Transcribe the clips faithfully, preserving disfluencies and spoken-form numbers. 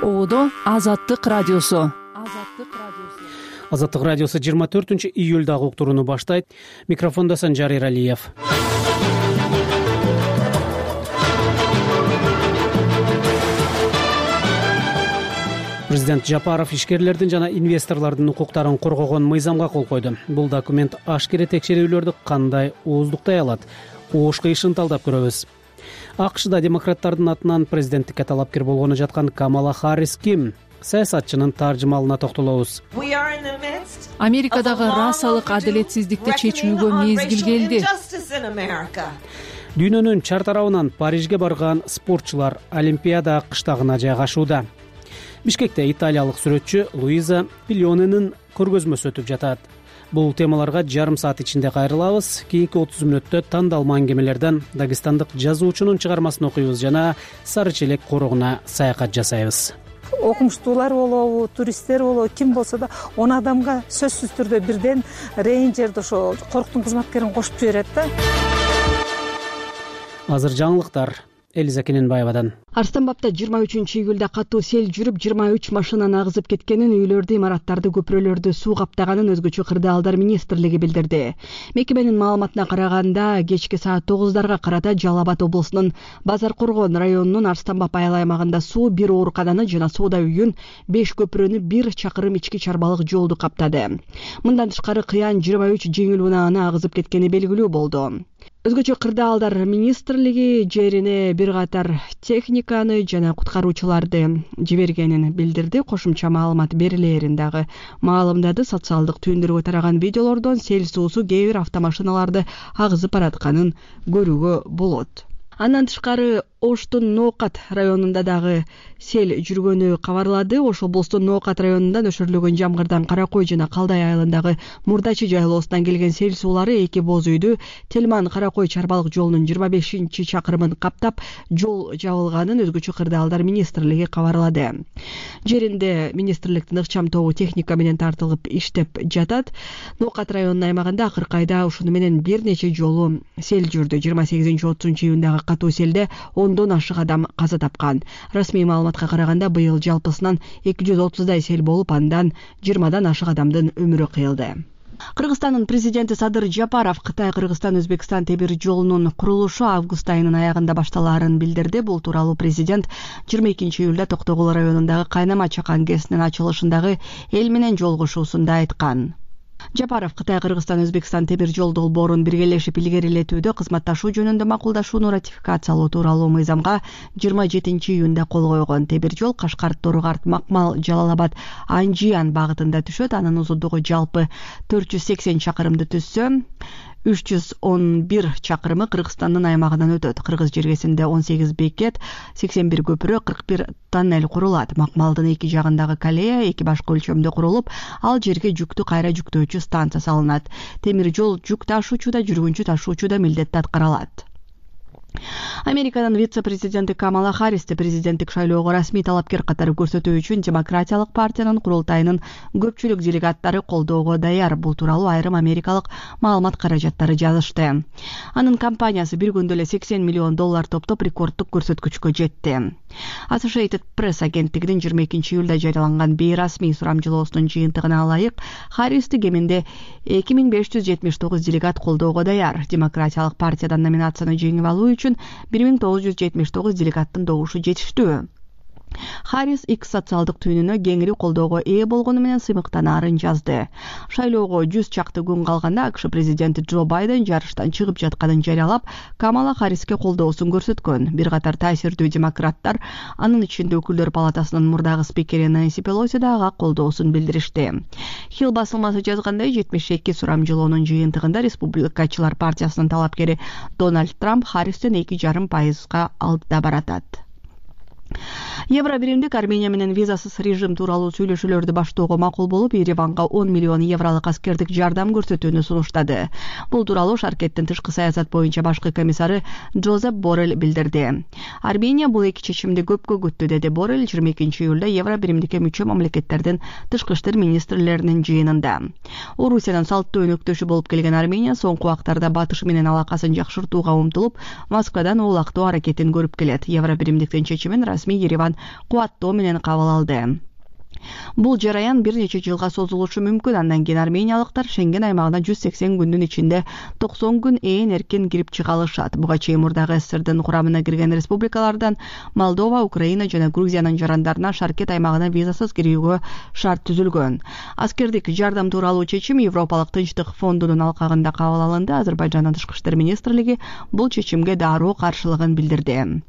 Оодо Азаттык радиосу. Азаттык радиосу жыйырма төртүнчү июлдагы уктурууну баштайт. Микрофондо Санжар Эралиев. Президент Жапаров ишкерлердин жана инвесторлордун укуктарын коргогон мыйзамга кол койду. Бул документ ашкере текшерүүлөрдү кандай ооздуктай алат? Оош кыйшын талдап көрөбүз. АКШда демократтардын атынан президенттикке талапкер болгону жаткан Камала Харрис ким? Саясатчынын таржымалына токтолобуз. Америкадагы расалык адилетсиздикти чечүүгө мезгил келди. Дүйнөнүн чар тарабынан Парижге барган спортчулар Олимпиада кыштагына жайгашууда. Бишкекте италиялык сүрөтчү Луиза Пильоненин көргөзмөсү өтүп жатат. Бул темаларга жарым саат ичинде кайрылабыз. Кийинки отуз мүнөттө тандалма аңгемелерден дагестандык жазуучунун чыгармасын окуйбуз жана Сары Челек корогуна саякат жасайбыз. Окумуштуулар болобу, туристтер болобу, ким болсо да он адамга сөзсүз түрдө бирден рейнджерди ошо корктун кызматкерин кошуп жиберет да. Азыр жаңылыктар Элиза Кененбаевадан. Арстанбапта жыйырма үчүнчү июлда катуу сел жүрүп жыйырма үч машинаны агызып кеткенин, үйлөрдү, имараттарды, көпүрөлөрдү суу каптаганын өзгөчө кырдаалдар министрлиги билдирди. Мекеменин маалыматына караганда, кечки саат тогуздарга карата Жалал Абад облусунун Базар Коргон районунун Арстанбап айыл аймагында суу бир оорукананы жана соода үйүн, беш көпүрөнү, бир чакырым ички чарбалык жолду каптады. Мындан тышкары Кыян жыйырма үч жеңил унааны агызып кеткени белгилүү болду. Өзгөчө кырдаалдар министрлиги жерине бир катар техниканы жана куткаруучуларды жибергенин билдирди. Кошумча маалымат берилерин дагы маалымдады. Социалдык түйүндөргө тараган видеолордон сел суусу кээ бир автомашиналарды агызып баратканын көрүүгө болот. Андан тышкары Оштун Ноокат районунда дагы сел жүргөнү кабарлады. Ош облустун Ноокат районунда нөшөрлөгөн жамгырдан Каракой жана Калдай айылындагы Мурдачы жайлоосунан келген сел суулары эки боз үйдү, Телман Каракой чарбалык жолунун жыйырма бешинчи чакырымын каптап, жол жабылганын өзгөчө кырдаалдар министрлиги кабарлады. Жеринде министрликтин ыкчам тобу техника менен тартылып иштеп жатат. Ноокат районунун аймагында акыркы айда ушуну менен бир нече жолу сел жүрдү. жыйырма сегизинчи отузунчу июндагы катуу селде ондон ашык адам каза тапкан. Расмий маалыматка караганда быйыл жалпысынан эки жүз отуздай сел болуп, андан жыйырмадан ашык адамдын өмүрү кыйылды. Кыргызстандын президенти Садыр Жапаров Кытай-Кыргызстан-Өзбекстан темир жолунун курулушу август айынын аягында башталаарын билдирди. Бул тууралуу президент жыйырма экинчи июлда Токтогул районундагы Кайнама чакан КЭСинин ачылышындагы эл менен жолугушуусунда айткан. Жапаров Кытай-Кыргызстан-Өзбекстан темир жол долбоорун биргелешип илгерилетүүдө кызматташуу жөнүндө макулдашууну ратификациялоо тууралуу мыйзамга жыйырма жетинчи июнда кол койгон. Темир жол Кашкар, Торугарт, Макмал, Жалал Абад, Анжиян багытында түшөт. Анын узундугу жалпы төрт жүз сексен чакырымды түзсө, үч жүз он бир чакырымы Кыргызстандын аймагынан өтөт. Кыргыз жергесинде он сегиз бекет, сексен бир көпүрө, кырк бир тоннель курулат. Макмалдын эки жагындагы колея эки башка өлчөмдө курулуп, ал жерге жүктү кайра жүктөөчү станция салынат. Темир жол жүк ташуучу да, жүргүнчү ташуучу да милдетти аткаралат. Американын вице-президенти Камала Харристи президенттик шайлоого расмий талапкер катары көрсөтүү үчүн Демократиялык партиянын курултайынын көпчүлүк делегаттары колдоого даяр. Бул тууралуу айрым америкалык маалымат каражаттары жазышты. Анын компаниясы бир күндө эле сексен миллион доллар топтоп рекорддук көрсөткүчкө жетти. Associated Press агенттигинин жыйырма экинчи июлда жарыяланган бейрасмий сурамжылоосунун жыйынтыгына ылайык, Харристи кеминде эки миң беш жүз жетимиш тогуз делегат колдоого даяр. Демократиялык партиядан номинацияны жеңип алуу үчүн бир миң тогуз жүз жетимиш тогуз делегаттын добушу жетиштүү. Харрис X социалдык түйүнүнө кеңири колдоого ээ болгону менен сыймыктанаарын жазды. Шайлоого жүз чакты күн калганда АКШ президенти Джо Байден жарыштан чыгып жатканын жарыялап, Камала Харриске колдоосун көрсөткөн. Бир катар таасирдүү демократтар, анын ичинде өкүлдөр палатасынын мурдагы спикери Нэнси Пелоси да ага колдоосун билдиришти. Хилл басылмасы жазгандай, жетимиш эки сурамжылоонун жыйынтыгында Республикачылар партиясынын талапкери Дональд Трамп Харристен эки жарым пайызга алдыда баратат. Евро биримдик Армения менен визасыз режим тууралуу сүйлөшүүлөрдү баштоого макул болуп, Ереванга он миллион евролук аскердик жардам көрсөтүүнү сунуштады. Бул тууралуу Шаркеттин тышкы саясат боюнча башкы комиссары Джозеп Боррелл билдирди. Армения бул эки чечимди көпкө күттү, деди Боррелл жыйырма экинчи июлда евро биримдикке мүчө мамлекеттердин тышкы иштер министрлеринин жыйынында. Орусиянын салттуу өнөктөшү болуп келген Армения соңку убактарда батыш менен алакасын жакшыртууга умтулуп, Москвадан оолактоо аракетин көрүп келет. Евро биримдиктин чечимин расмий Ереван кубаттоо менен кабыл алды. Бул жараян бир нече жылга созулушу мүмкүн. Андан кийин армениялыктар Шенген аймагына жүз сексен күндүн ичинде токсон күн ээн эркин кирип чыга алышат. Буга чейин мурдагы СССРдин курамына кирген республикалардан Молдова, Украина жана Грузиянын жарандарына Шаркет аймагына визасыз кирүүгө шарт түзүлгөн. Аскердик жардам тууралуу чечим Европалык Тынчтык фондунун алкагында кабыл алынды. Азербайжандын тышкы иштер министрлиги бул чечимге дароо каршылыгын билдирди.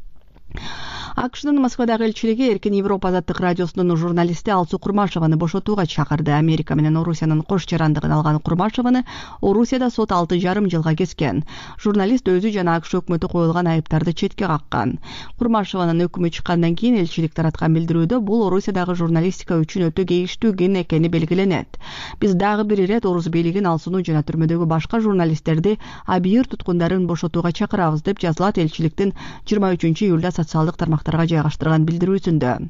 АКШнын Москвадагы элчилиги Эркин Европа азаттык радиосунун журналисти Алсу Курмашеваны бошотууга чакырды. Америка менен Орусиянын кош жарандыгын алган Курмашеваны Орусияда сот алты жарым жылга кескен. Журналист өзү жана АКШ өкмөтү коюлган айыптарды четке каккан. Курмашеванын өкүмү чыккандан кийин элчилик тараткан билдирүүдө бул Орусиядагы журналистика үчүн өтө кейиштүү күн экени белгиленет. Биз дагы бир ирет Орус бийлигин Алсуну жана түрмөдөгү башка журналисттерди абийир туткундарын бошотууга чакырабыз деп жазылат элчиликтин жыйырма үчүнчү июлда социалдык тармактарга жайгаштырган билдирүүсүндө.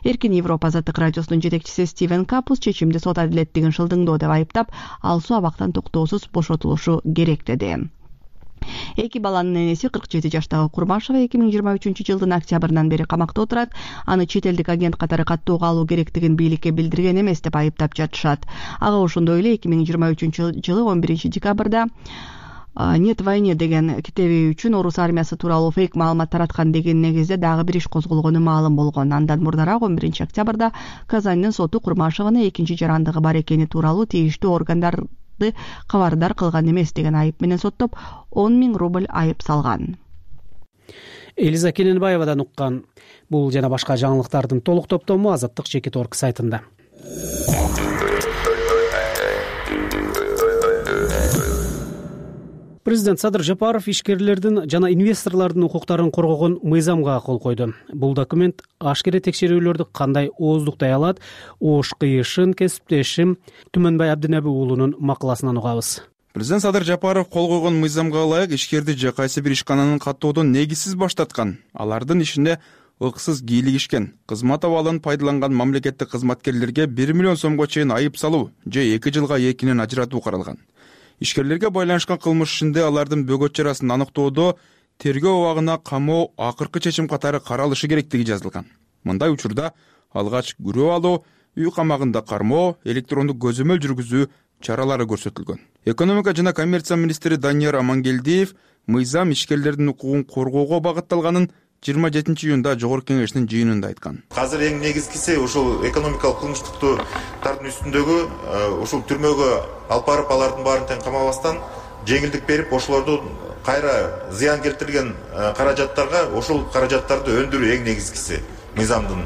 Эркин Европа азаттык радиосунун жетекчиси Стивен Капус чечимди сот адилеттигин шылдыңдоо деп айыптап, Алсу абактан токтоосуз бошотулушу керек деди. Эки баланын энеси кырк жети жаштагы Курмашева эки миң жыйырма үчүнчү жылдын октябрынан бери камакта отурат. Аны чет элдик агент катары каттоого алуу керектигин бийликке билдирген эмес деп айыптап жатышат. Ага ошондой эле эки миң жыйырма үчүнчү жылы он биринчи декабрда «Нет войне» деген китеби үчүн Орус армиясы тууралуу фейк маалымат тараткан деген негизде дагы бир иш козголгону маалым болгон. Андан мурдараак он биринчи октябрда Казандын соту Курмашеваны экинчи жарандыгы бар экени тууралуу тийиштүү органдарды кабардар кылган эмес деген айып менен соттоп он миң рубль айып салган. Элиза Келенбаевадан уккан бул жана башка жаңылыктардын толук топтому Азаттык чекит точка орг сайтында. Президент Садыр Жапаров ишкерлердин жана инвесторлордун укуктарын коргогон мыйзамга кол койду. Бул документ ашкере текшерүүлөрдү кандай ооздуктай алат, ош кыйышын, кесиптешим Түмөнбай Абдинеби уулунун макаласынан угабыз. Президент Садыр Жапаров кол койгон мыйзамга ылайык ишкерди же кайсы бир ишкананын каттоодон негизсиз баштаткан, алардын ишине ыксыз кийлигишкен, кызмат абалын пайдаланган мамлекеттик кызматкерлерге бир миллион сомго чейин айып салуу же эки жылга экинен ажыратуу каралган. Ишкерлерге байланышкан кылмыш ишинде алардын бөгөт чарасын аныктоодо тергөө абагына камоо акыркы чечим катары каралышы керектиги жазылган. Мындай учурда алгач күрөө алуу, үй камагында кармоо, электрондук көзөмөл жүргүзүү чаралары көрсөтүлгөн. Экономика жана коммерция министри Данияр Амангелдиев мыйзам ишкерлердин укугун коргоого багытталганын жыйырма жетинчи июнда жогорку кеңештин жыйынында айткан. Азыр эң негизгиси ушул экономикалык кылмыштыктардын үстүндөгү ушул түрмөгө алып барып алардын баарын тең камабастан жеңилдик берип, ошолорду кайра зыян келтирген каражаттарга ошол каражаттарды өндүрүү эң негизгиси мыйзамдын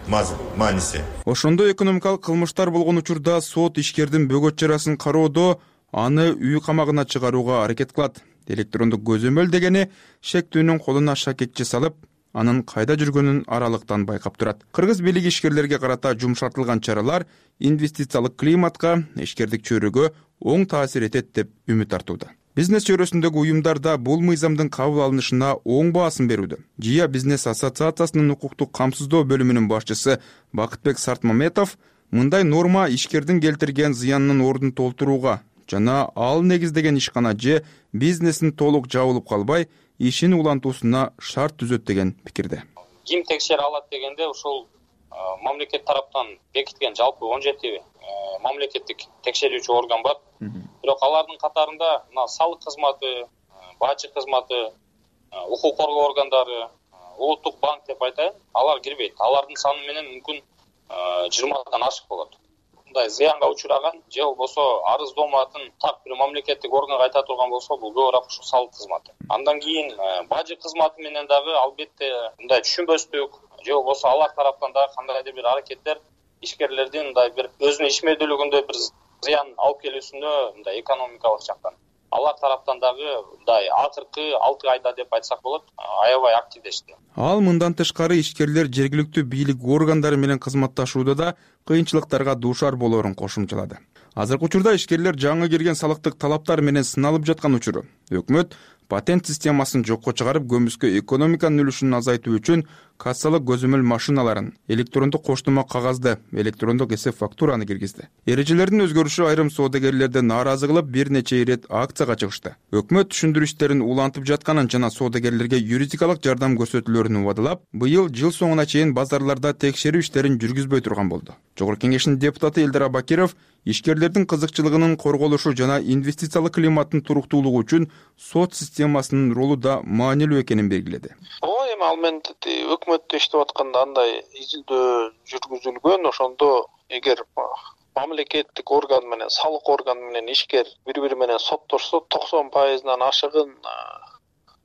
мааниси. Ошондой экономикалык кылмыштар болгон учурда сот ишкердин бөгөт чарасын кароодо аны үй камагына чыгарууга аракет кылат. Электрондук көзөмөл дегени шектүүнүн колуна шакекчи салып, анын кайда жүргөнүн аралыктан байкап турат. Кыргыз бийлиги ишкерлерге карата жумшартылган чаралар инвестициялык климатка, ишкердик чөйрөгө оң таасир этет деп үмүт артууда. Бизнес чөйрөсүндөгү уюмдарда бул мыйзамдын кабыл алынышына оң баасын берүүдө. Жия бизнес ассоциациясынын укуктук камсыздоо бөлүмүнүн башчысы Бакытбек Сартмаметов мындай норма ишкердин келтирген зыянынын ордун толтурууга жана ал негиздеген ишкана же бизнесин толук жабылып калбай, ишин улантуусуна шарт түзөт деген пикирде. Ким текшере алат дегенде ушул мамлекет тараптан бекиткен жалпы он жети мамлекеттик текшерүүчү орган бар. Бирок алардын катарында мына салык кызматы, бажы кызматы, укук коргоо органдары, улуттук банк деп айтайын, алар кирбейт. Алардын саны менен мүмкүн жыйырмадан ашык болот. Мындай зыянга учураган же болбосо арыздооматын так бир мамлекеттик органга айта турган болсо, бул көбүрөөк ушул салык кызматы. Андан кийин бажы кызматы менен дагы албетте мындай түшүнбөстүк же болбосо алар тараптан дагы кандайдыр бир аракеттер ишкерлердин мындай бир өзүнүн ишмердүүлүгүндө бир зыян алып келүүсүндө мындай экономикалык жактан алар тараптан дагы мындай акыркы алты айда деп айтсак болот, аябай активдешти. Ал мындан тышкары ишкерлер жергиликтүү бийлик органдары менен кызматташууда да кыйынчылыктарга дуушар болоорун кошумчалады. Азыркы учурда ишкерлер жаңы кирген салыктык талаптар менен сыналып жаткан учуру өкмөт патент системасын жокко чыгарып, көмүскө экономиканын үлүшүн азайтуу үчүн кассалык көзөмөл машиналарын, электрондук коштомо кагазды, электрондук эсеп фактураны киргизди. Эрежелердин өзгөрүшү айрым соодагерлерди нааразы кылып, бир нече ирет акцияга чыгышты. Өкмөт түшүндүрүү иштерин улантып жатканын жана соодагерлерге юридикалык жардам көрсөтүүлөрүн убадылап, быйыл жыл соңуна чейин базарларда текшерүү иштерин жүргүзбөй турган болду. Жогорку Кеңештин депутаты Элдар Абакиров ишкерлердин кызыкчылыгынын корголушу жана инвестициялык климаттын туруктуулугу үчүн сот системасынын ролу да маанилүү экенин белгиледи. Ооба, эми ал менен өкмөттө иштеп атканда андай изилдөө жүргүзүлгөн. Ошондо эгер мамлекеттик орган менен салык орган менен ишкер бири-бири менен соттошсо, токсон пайызынан ашыгын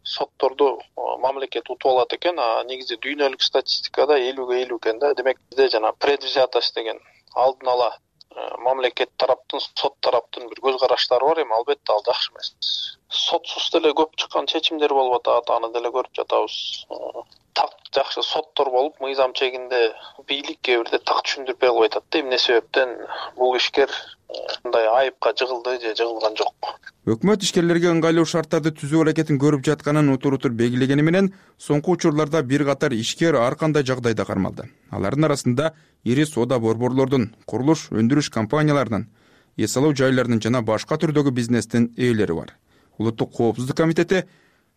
сотторду мамлекет утуп алат экен. А негизи дүйнөлүк статистикада элүүгө элүү экен да. Демек бизде жана предвзятость деген алдын ала мамлекет тараптын, сот тараптын бир көз караштары бар. Эми албетте ал жакшы эмес. Сотсуз деле көп чыккан чечимдер болуп атат, аны деле көрүп жатабыз. Так жакшы соттор болуп, мыйзам чегинде бийлик кээ бирде так түшүндүрбөй калып атат да, эмне себептен бул ишкер мындай айыпка жыгылды же жыгылган жок. Өкмөт ишкерлерге ыңгайлуу шарттарды түзүү аракетин көрүп жатканын утур-утур белгилегени менен, соңку учурларда бир катар ишкер ар кандай жагдайда кармалды. Алардын арасында ири соода борборлордун, курулуш өндүрүш компанияларынын, эс алуу жайларынын жана башка түрдөгү бизнестин ээлери бар. Улуттук коопсуздук комитети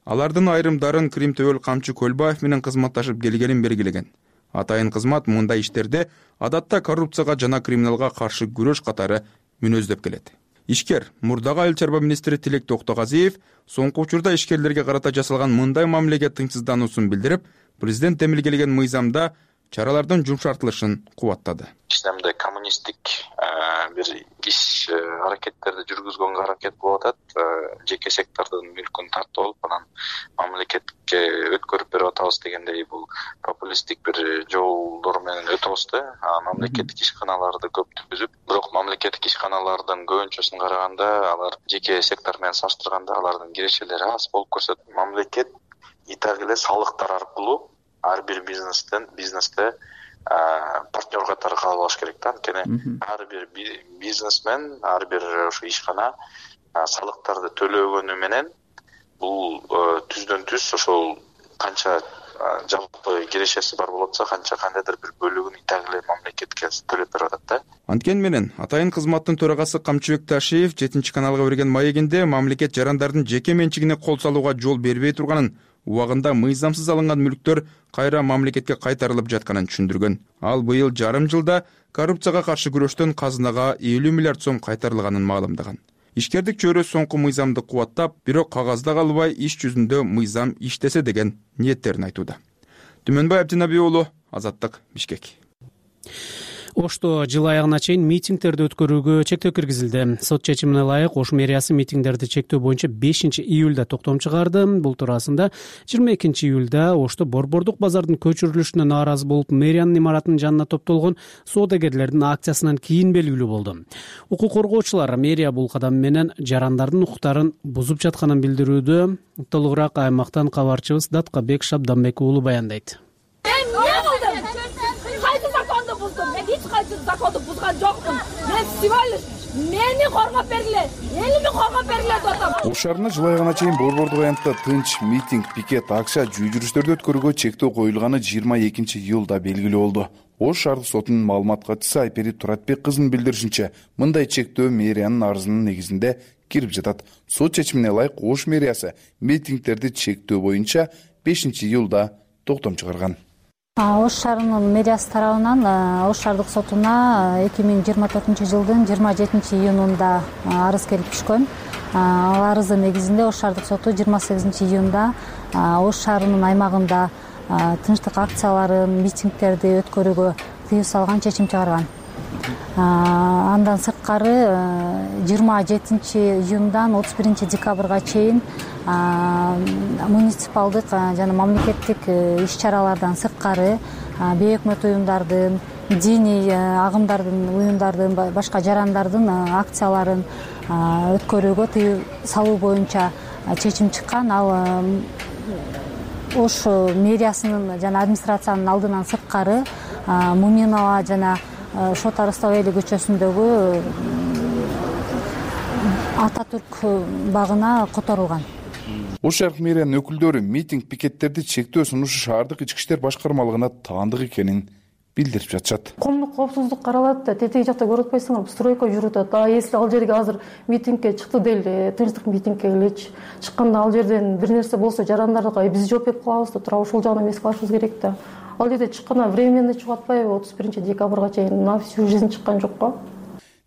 алардын айрымдарын Крим Төбөл Камчы Көлбаев менен кызматташып келгенин белгилеген. Атайын кызмат мындай иштерде адатта коррупцияга жана криминалга каршы күрөш катары мүнөздөп келет. Ишкер мурдагы айыл чарба министри Тилек Токтогазиев соңку учурда ишкерлерге карата жасалган мындай мамилеге тынчсыздануусун билдирип, президент демилгелеген мыйзамда чаралардын жумшартылышын кубаттады. Исламда коммунисттик бир иш аракеттерди жүргүзгөнгө аракет кылып атат. Жеке сектордун мүлкүн тартып алып, анан мамлекетке өткөрүп берип атабыз дегендей бул популисттик бир жолдор менен өтөбүз да. Мамлекеттик ишканаларды көп түзүп, бирок мамлекеттик ишканалардын көбүнчөсүн караганда алар жеке сектор менен салыштырганда алардын кирешелери аз болуп көрсөтөт. Мамлекет итак эле салыктар аркылуу ар бир бизнестен бизнесте партнер катары кабыл алыш керек да. Анткени ар бир бизнесмен, ар бир ошо ишкана салыктарды төлөгөнү менен бул түздөн түз ошол канча жалпы кирешеси бар болуп атса, канча кандайдыр бир бөлүгүн итак эле мамлекетке төлөп берип атат да. Анткени менен Атайын кызматтын төрагасы Камчыбек Ташиев жетинчи каналга берген маегинде мамлекет жарандардын жеке менчигине кол салууга жол бербей турганын, убагында мыйзамсыз алынган мүлктөр кайра мамлекетке кайтарылып жатканын түшүндүргөн. Ал быйыл жарым жылда коррупцияга каршы күрөштөн казынага элүү миллиард сом кайтарылганын маалымдаган. Ишкердик чөйрө соңку мыйзамды кубаттап, бирок кагазда калбай иш жүзүндө мыйзам иштесе деген ниеттерин айтууда. Түмөнбай Абдинаби уулу, Азаттык, Бишкек. Ошто жыл аягына чейин митингдерди өткөрүүгө чектөө киргизилди. Сот чечимине ылайык Ош мэриясы митингдерди чектөө боюнча бешинчи июлда токтом чыгарды. Бул туурасында жыйырма экинчи июлда Ошто Борбордук базардын көчүрүлүшүнө нааразы болуп, мэриянын имаратынын жанына топтолгон соодагерлердин акциясынан кийин белгилүү болду. Укук коргоочулар мэрия бул кадам менен жарандардын укуктарын бузуп жатканын билдирүүдө. Толугураак аймактан кабарчыбыз Даткабек Шабданбек уулу баяндайт. Законду бузган жокмун. Мен всего лишь мени коргоп бергиле, элими коргоп бергиле деп атам. Ош шаарында жыл аягына чейин борбордук аянтта тынч митинг, пикет, акция, жүй жүрүштөрдү өткөрүүгө чектөө коюлганы жыйырма экинчи июлда белгилүү болду. Ош шаардык сотунун маалымат катчысы Айперит Туратбек кызынын билдиришинче, мындай чектөө мэриянын арызынын негизинде кирип жатат. Сот чечимине ылайык Ош мэриясы митингдерди чектөө боюнча бешинчи июлда токтом чыгарган. Ош шаарынын мэриясы тарабынан Ош шаардык сотуна эки миң жыйырма төртүнчү жылдын жыйырма жетинчи июнунда арыз келип түшкөн. Ал арыздын негизинде Ош шаардык соту жыйырма сегизинчи июнда Ош шаарынын аймагында тынчтык акцияларын, митингдерди өткөрүүгө тыюу салган чечим чыгарган. Андан сырткары жыйырма жетинчи июндан отуз биринчи декабрга чейин муниципалдык жана мамлекеттик иш-чаралардан сырткары бейөкмөт уюмдардын, диний агымдардын, уюмдардын, башка жарандардын акцияларын өткөрүүгө тыюу салуу боюнча чечим чыккан. Ал Ош мэриясынын жана администрациянын алдынан сырткары Муминова жана Шот Арыстабайли көчөсүндөгү Ататүрк багына которулган. Ош шарк мэриянын өкүлдөрү митинг пикеттерди чектөө сунушу шаардык ички иштер башкармалыгына таандык экенин билдирип жатышат. Коомдук коопсуздук каралат да, тетиги жакта көрүп атпайсыңарбы, стройка жүрүп атат. А если ал жерге азыр митингке чыкты дейли, тынчтык митингке элечи. Чыкканда ал жерден бир нерсе болсо жарандардыга биз жооп берип калабыз да, тура ошол жагынан эмес кылышыбыз керек да. Ал жерде чыкканда временно чыгып атпайбы, отуз биринчи декабрга чейин на всю жизнь чыккан жок го.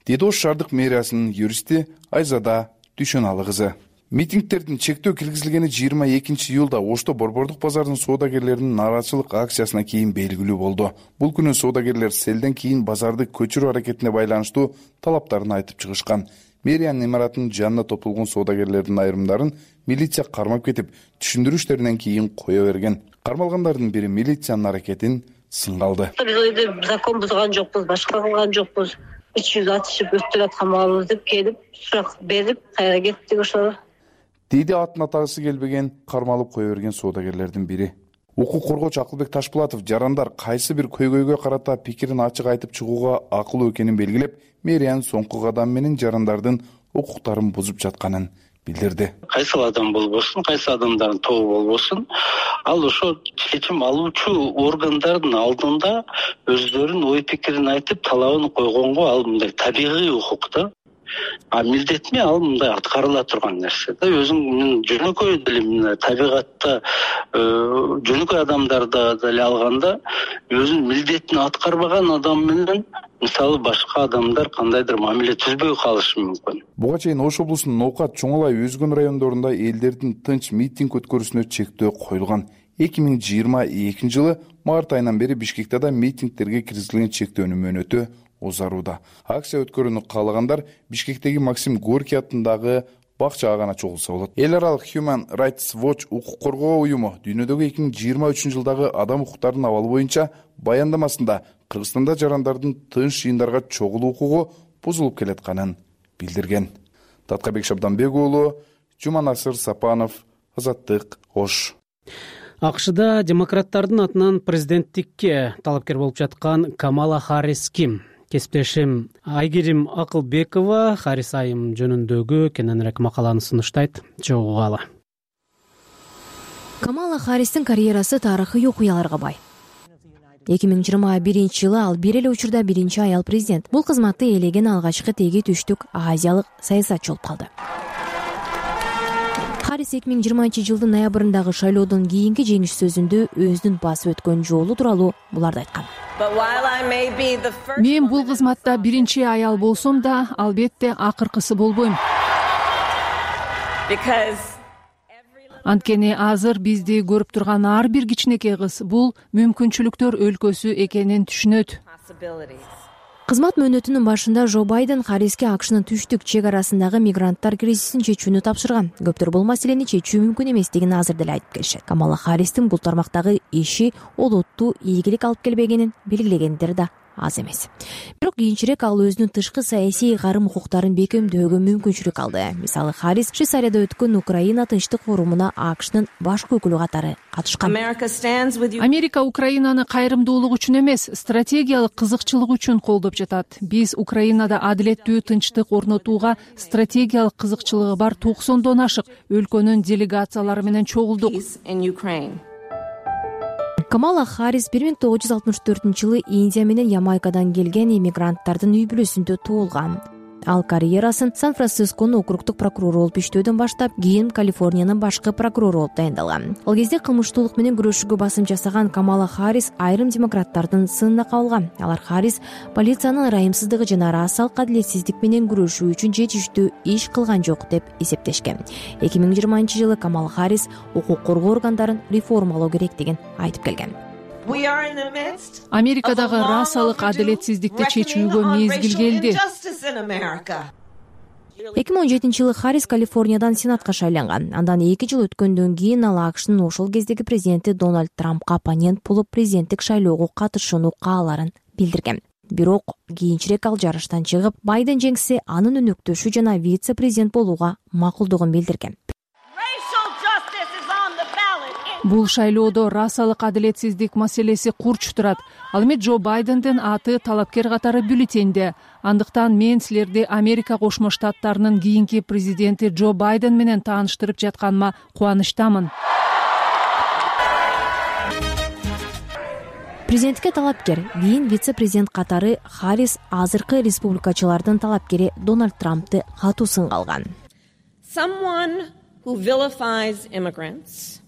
Деди Ош шаардык мэриясынын юристи Айзада Дүйшөналы кызы. Митингтердин чектөө киргизилгени жыйырма экинчи июлда Ошто борбордук базарынын соодагерлеринин нааразычылык акциясынан кийин белгилүү болду. Бул күнү соодагерлер селден кийин базарды көчүрүү аракетине байланыштуу талаптарын айтып чыгышкан. Мэриянын имаратынын жанына топтолгон соодагерлердин айрымдарын милиция кармап кетип, түшүндүрүү иштеринен кийин кое берген. Кармалгандардын бири милициянын аракетин сынга алды. Биз закон бузган жокпуз, башка кылган жокпуз. үч жүз атышып өттүп аткан маалыбыз деп келип, сурак берип, кайра кеттик ошол. Дейди атын атагысы келбеген кармалып кое берген соодагерлердин бири. Укук коргоочу Акылбек Ташпулатов жарандар кайсы бир көйгөйгө карата пикирин ачык айтып чыгууга акылуу экенин белгилеп, мэриянын соңку кадамы менен жарандардын укуктарын бузуп жатканын билдирди. Кайсы адам болбосун, кайсы адамдардын тобу болбосун, ал ошо чечим алуучу органдардын алдында өздөрүнүн ой пикирин айтып, талабын койгонго ал мындай табигый укук да. А милдетме ал мындай аткарыла турган нерсе да. Өзүң жөнөкөй деле табигатта жөнөкөй адамдарда деле алганда өзүнүн милдетин аткарбаган адам менен мисалы башка адамдар кандайдыр мамиле түзбөй калышы мүмкүн. Буга чейин Ош облусунун Ноокат, Чоң Алай, Өзгөн райондорунда элдердин тынч митинг өткөрүүсүнө чектөө коюлган. эки миң жыйырма экинчи жылы март айынан бери Бишкекте да митингтерге киргизилген чектөөнүн мөөнөтү узарууда. Акция өткөрүүнү каалагандар Бишкектеги Максим Горький атындагы бакчага гана чогулса болот. Эл аралык Human Rights Watch укук коргоо уюму дүйнөдөгү эки миң жыйырма үчүнчү жылдагы адам укуктарынын абалы боюнча баяндамасында Кыргызстанда жарандардын тынч жыйындарга чогулуу укугу бузулуп келатканын билдирген. Таткабек Шабданбек уулу, Жуманасыр Сапанов, Азаттык, Ош. АКШда демократтардын атынан президенттикке талапкер болуп жаткан Камала Харрис ким? Кесиптешим Айгерим Акылбекова Харрис айым жөнүндөгү кененирээк макаланы сунуштайт. Чогугалы. Камала Харристин карьерасы тарыхый окуяларга бай. эки миң жыйырма биринчи жылы ал бир эле учурда биринчи аял президент. Бул кызматты ээлеген алгачкы теги түштүк азиялык саясатчы болуп калды. Харрис эки миң жыйырманчы жылдын ноябрындагы шайлоодон кийинки жеңиш сөзүндө өзүнүн басып өткөн жолу тууралуу буларды айткан. Мен бул кызматта биринчи аял болсом да, албетте акыркысы болбойм. Анткени азыр бизди көрүп турган ар бир кичинекей кыз бул мүмкүнчүлүктөр өлкөсү экенин түшүнөт. Кызмат мөөнөтүнүн башында Жо Байден Харриске АКШнын түштүк чек арасындагы мигранттар кризисин чечүүнү тапшырган. Көптөр бул маселени чечүү мүмкүн эместигин азыр деле айтып келишет. Камала Харристин бул тармактагы иши олуттуу ийгилик алып келбегенин белгилегендер да аз эмес. Бирок кийинчерээк ал өзүнүн тышкы саясий карым укуктарын бекемдөөгө мүмкүнчүлүк алды. Мисалы, Харрис Швейцарияда өткөн Украина тынчтык форумуна АКШнын башкы өкүлү катары катышкан. Америка Украинаны кайрымдуулук үчүн эмес, стратегиялык кызыкчылык үчүн колдоп жатат. Биз Украинада адилеттүү тынчтык орнотууга стратегиялык кызыкчылыгы бар токсондон ашык өлкөнүн делегациялары менен чогулдук. Камала Харрис бир миң тогуз жүз алтымыш төртүнчү жылы Индия менен Ямайкадан келген иммигранттардын үй бүлөсүндө туулган. Ал карьерасын Сан-Францисконун округдук прокурору болуп иштөөдөн баштап, кийин Калифорниянын башкы прокурору болуп дайындалган. Ал кезде кылмыштуулук менен күрөшүүгө басым жасаган Камала Харрис айрым демократтардын сынына кабылган. Алар Харрис полициянын ырайымсыздыгы жана расалык адилетсиздик менен күрөшүү үчүн жетиштүү иш кылган жок деп эсептешкен. эки миң жыйырманчы жылы Камала Харрис укук коргоо органдарын реформалоо керектигин айтып келген. Америкадагы расалык адилетсиздикти чечүүгө мезгил келди. эки миң он жетинчи жылы Харрис Калифорниядан сенатка шайланган. Андан эки жыл өткөндөн кийин ал АКШнын ошол кездеги президенти Дональд Трампка оппонент болуп президенттик шайлоого катышууну кааларын билдирген. Бирок кийинчерээк ал жарыштан чыгып, Байден жеңсе анын өнөктөшү жана вице-президент болууга макулдугун билдирген. Бул шайлоодо расалык адилетсиздик маселеси курч турат. Ал эми Джо Байдендин аты талапкер катары бюллетенде. Андыктан мен силерди Америка Кошмо Штаттарынын кийинки президенти Джо Байден менен тааныштырып жатканыма кубанычтамын. Президентке талапкер, кийин вице-президент катары Харрис азыркы республикачылардын талапкери Дональд Трампты катуу сынга алган. Someone who vilifies immigrants,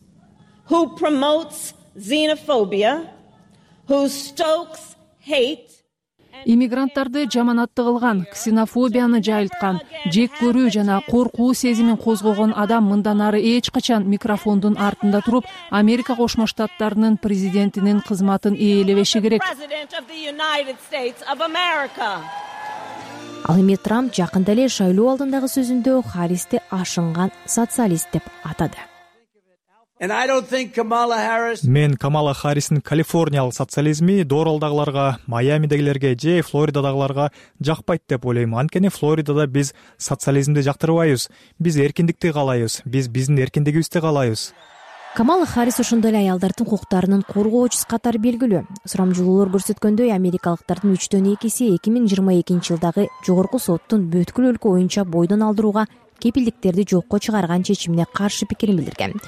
who promotes xenophobia, who stokes hate. Иммигранттарды жаманатты кылган, ксенофобияны жайылткан, жек көрүү жана коркуу сезимин козгогон адам мындан ары эч качан микрофондун артында туруп, Америка Кошмо Штаттарынын президентинин кызматын ээлебеши керек. Ал эми Трамп жакында эле шайлоо алдындагы сөзүндө Харристи ашынган социалист деп атады. Мен Камала Харристин калифорниялык социализми Доралдагыларга, Майамидегилерге же Флоридадагыларга жакпайт деп ойлойм. Анткени Флоридада биз социализмди жактырбайбыз. Биз эркиндикти каалайбыз. Биз биздин эркиндигибизди каалайбыз. Камала Харрис ошондой эле аялдардын укуктарынын коргоочусу катары белгилүү. Сурамжылоолор көрсөткөндөй, америкалыктардын үчтөн экиси эки миң жыйырма экинчи жылдагы жогорку соттун бүткүл өлкө боюнча бойдон алдырууга кепилдиктерди жокко чыгарган чечимине каршы пикирин билдирген.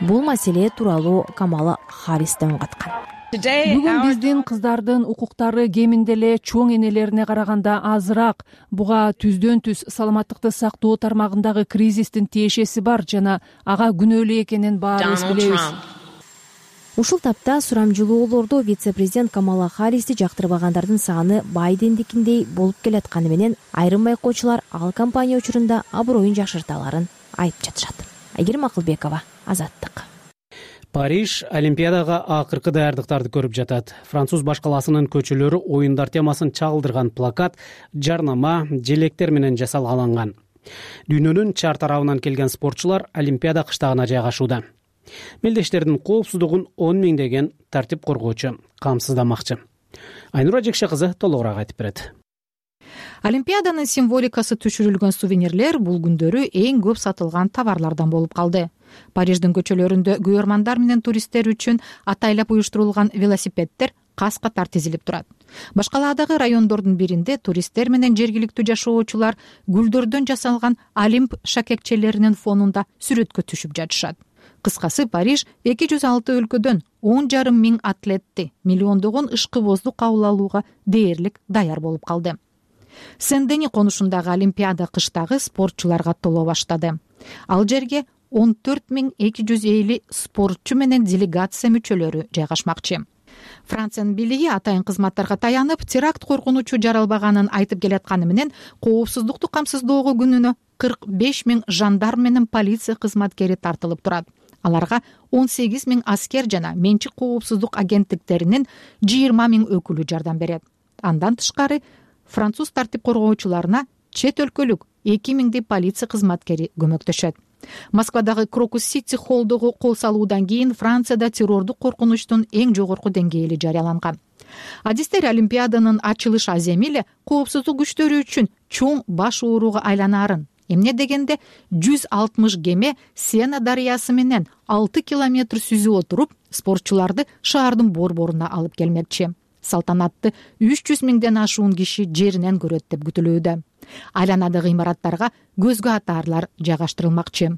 Бул маселе тууралуу Камала Харрис да үн каткан. Бүгүн биздин кыздардын укуктары кеминде эле чоң энелерине караганда азыраак. Буга түздөн түз саламаттыкты сактоо тармагындагы кризистин тиешеси бар жана ага күнөөлүү экенин баарыбыз билебиз. Ушул тапта сурамжылоолордо вице-президент Камала Харристи жактырбагандардын саны Байдендикиндей болуп келатканы менен айрым байкоочулар ал компания учурунда аброюн жакшыртааларын айтып жатышат. Айгерим Акылбекова, Азаттык. Париж Олимпиадага акыркы даярдыктарды көрүп жатат. Француз баш каласынын көчөлөрү оюндар темасын чагылдырган плакат, жарнама, желектер менен жасалган. Дүйнөнүн чар тарабынан келген спортчулар Олимпиада кыштагына жайгашууда. Мелдештердин коопсуздугун он миңдеген тартип коргоочу камсыздамакчы. Айнура Жекше кызы толугураак айтып берет. Олимпиаданын символикасы түшүрүлгөн сувенирлер бул күндөрү эң көп сатылган товарлардан болуп калды. Париждин көчөлөрүндө күйөрмандар менен туристтер үчүн атайлап уюштурулган велосипеддер кас катар тизилип турат. Башкаладагы райондордун биринде туристтер менен жергиликтүү жашоочулар гүлдөрдөн жасалган олимп шакекчелеринин фонунда сүрөткө түшүп жатышат. Кыскасы, Париж эки жүз алты өлкөдөн он жарым миң атлетти миллиондогон ышкыбозду кабыл алууга дээрлик даяр болуп калды. Сен-Дени конушундагы Олимпиада кыштагы спортчуларга толо баштады. Ал жерге он төрт миң эки жүз элүү спортчу менен делегация мүчөлөрү жайгашмакчы. Франциянын бийлиги атайын кызматтарга таянып, теракт коркунучу жаралбаганын айтып келатканы менен коопсуздукту камсыздоого күнүнө кырк беш миң жандарм менен полиция кызматкери тартылып турат. Аларга он сегиз миң аскер жана менчик коопсуздук агенттиктеринин жыйырма миң өкүлү жардам берет. Андан тышкары француз тартип коргоочуларына чет өлкөлүк эки миңдей полиция кызматкери көмөктөшөт. Москвадагы Крокус Сити холлдогу кол салуудан кийин Францияда террордук коркунучтун эң жогорку деңгээли жарыяланган. Адистер Олимпиаданын ачылыш аземи эле коопсуздук күчтөрү үчүн чоң баш ооруга айланаарын, эмне дегенде жүз алтымыш кеме Сена дарыясы менен алты километр сүзүп отуруп, спортчуларды шаардын борборуна алып келмекчи. Салтанатты үч жүз миңден ашуун киши жеринен көрөт деп күтүлүүдө. Айланадагы имараттарга көзгө атаарлар жайгаштырылмакчы.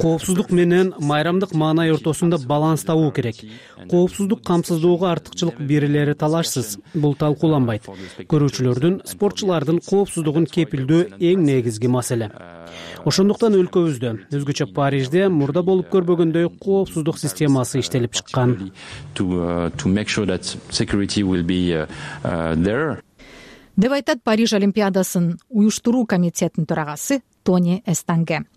Коопсуздук менен майрамдык маанай ортосунда баланс табуу керек. Коопсуздук камсыздоого артыкчылык берилери талашсыз. Бул талкууланбайт. Көрүүчүлөрдүн, спортчулардын коопсуздугун кепилдөө эң негизги маселе. Ошондуктан өлкөбүздө, өзгөчө Парижде мурда болуп көрбөгөндөй коопсуздук системасы иштелип чыккан. Деп айтат Париж Олимпиадасын уюштуруу комитетинин төрагасы Тони Эстанге.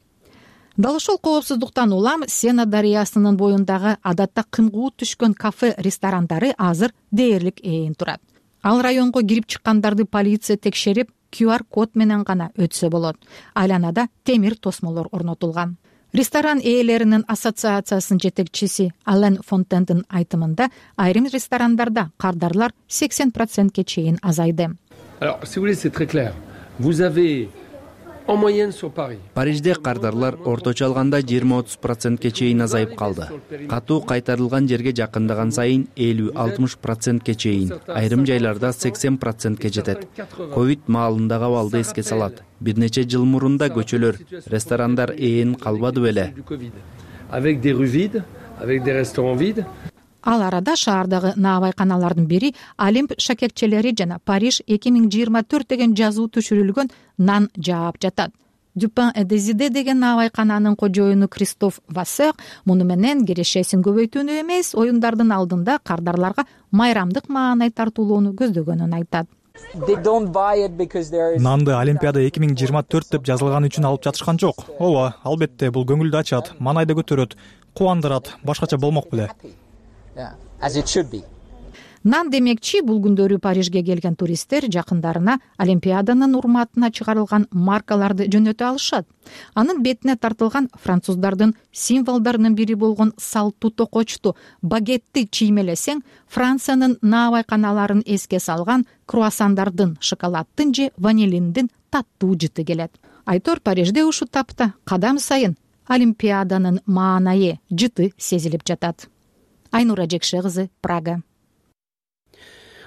Дал ошол коопсуздуктан улам Сена дарыясынын боюндагы адатта кымгуут түшкөн кафе ресторандары азыр дээрлик ээн турат. Ал районго кирип чыккандарды полиция текшерип, ку ар код менен гана өтсө болот. Айланада темир тосмолор орнотулган. Ресторан ээлеринин ассоциациясынын жетекчиси Ален Фонтендин айтымында, айрым ресторандарда кардарлар сексен процентке чейин азайды. Alors, si vous voulez, c'est très clair. Vous avez Парижде кардарлар орточо алганда жыйырма отуз процентке чейин азайып калды. Катуу кайтарылган жерге жакындаган сайын элүү алтымыш процентке чейин, айрым жайларда сексен процентке жетет. Ковид маалындагы абалды эске салат. Бир нече жыл мурун да көчөлөр, ресторандар ээн калбады беле. Ал арада шаардагы наабайканалардын бири Олимп шакекчелери жана Париж эки миң жыйырма төрт деген жазуу түшүрүлгөн нан жаап жатат. Дюпен et Désidé деген наабайкананын кожоюну Кристоф Вассер муну менен кирешесин көбөйтүүнү эмес, оюндардын алдында кардарларга майрамдык маанай тартуулоону көздөгөнүн айтат. Нанды Олимпиада эки миң жыйырма төрт деп жазылган үчүн алып жатышкан жок. Ооба, албетте бул көңүлдү ачат, маанайды көтөрөт, кубандырат, башкача болмок беле. Нан демекчи, бул күндөрү Парижге келген туристтер жакындарына Олимпиаданын урматына чыгарылган маркаларды жөнөтө алышат. Анын бетине тартылган француздардын символдорунун бири болгон салттуу токочту багетти чиймелесең, Франциянын наабайканаларын эске салган круассандардын, шоколаддын же ванилиндин таттуу жыты келет. Айтор Парижде ушул тапта кадам сайын Олимпиаданын маанайы, жыты сезилип жатат. Айнура Жекше кызы, Прага.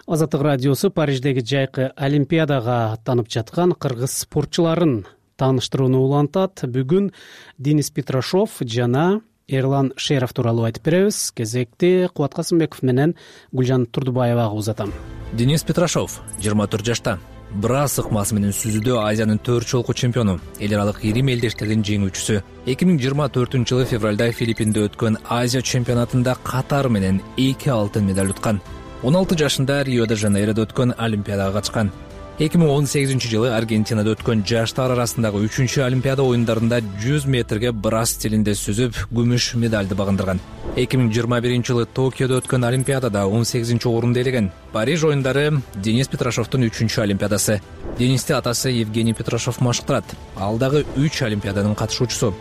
Азаттык радиосу Париждеги жайкы Олимпиадага аттанып жаткан кыргыз спортчуларын тааныштырууну улантат. Бүгүн Денис Петрашов жана Эрлан Шеров тууралуу айтып беребиз. Кезекти Кубат Касымбеков менен Гүлжан Турдубаевага узатам. Денис Петрашов жыйырма төрт жашта. Брас ыкмасы менен сүзүүдө Азиянын төрт жолку чемпиону, эл аралык ирим элдештердин жеңүүчүсү. эки миң жыйырма төртүнчү жылы февралда Филиппинде өткөн Азия чемпионатында катары менен эки алтын медаль уткан. он алты жашында Рио-де-Жанейродо өткөн Олимпиадага катышкан. эки миң он сегизинчи жылы Аргентинада өткөн жаштар арасындагы үчүнчү Олимпиада оюндарында жүз метрге брас стилинде сүзүп, күмүш медальды багындырган. эки миң жыйырма биринчи жылы Токиодо өткөн Олимпиадада он сегизинчи орунду ээлеген. Париж оюндары Денис Петрашовдун үчүнчү Олимпиадасы. Денисти атасы Евгений Петрашов машыктырат. Ал дагы үч Олимпиаданын катышуучусу.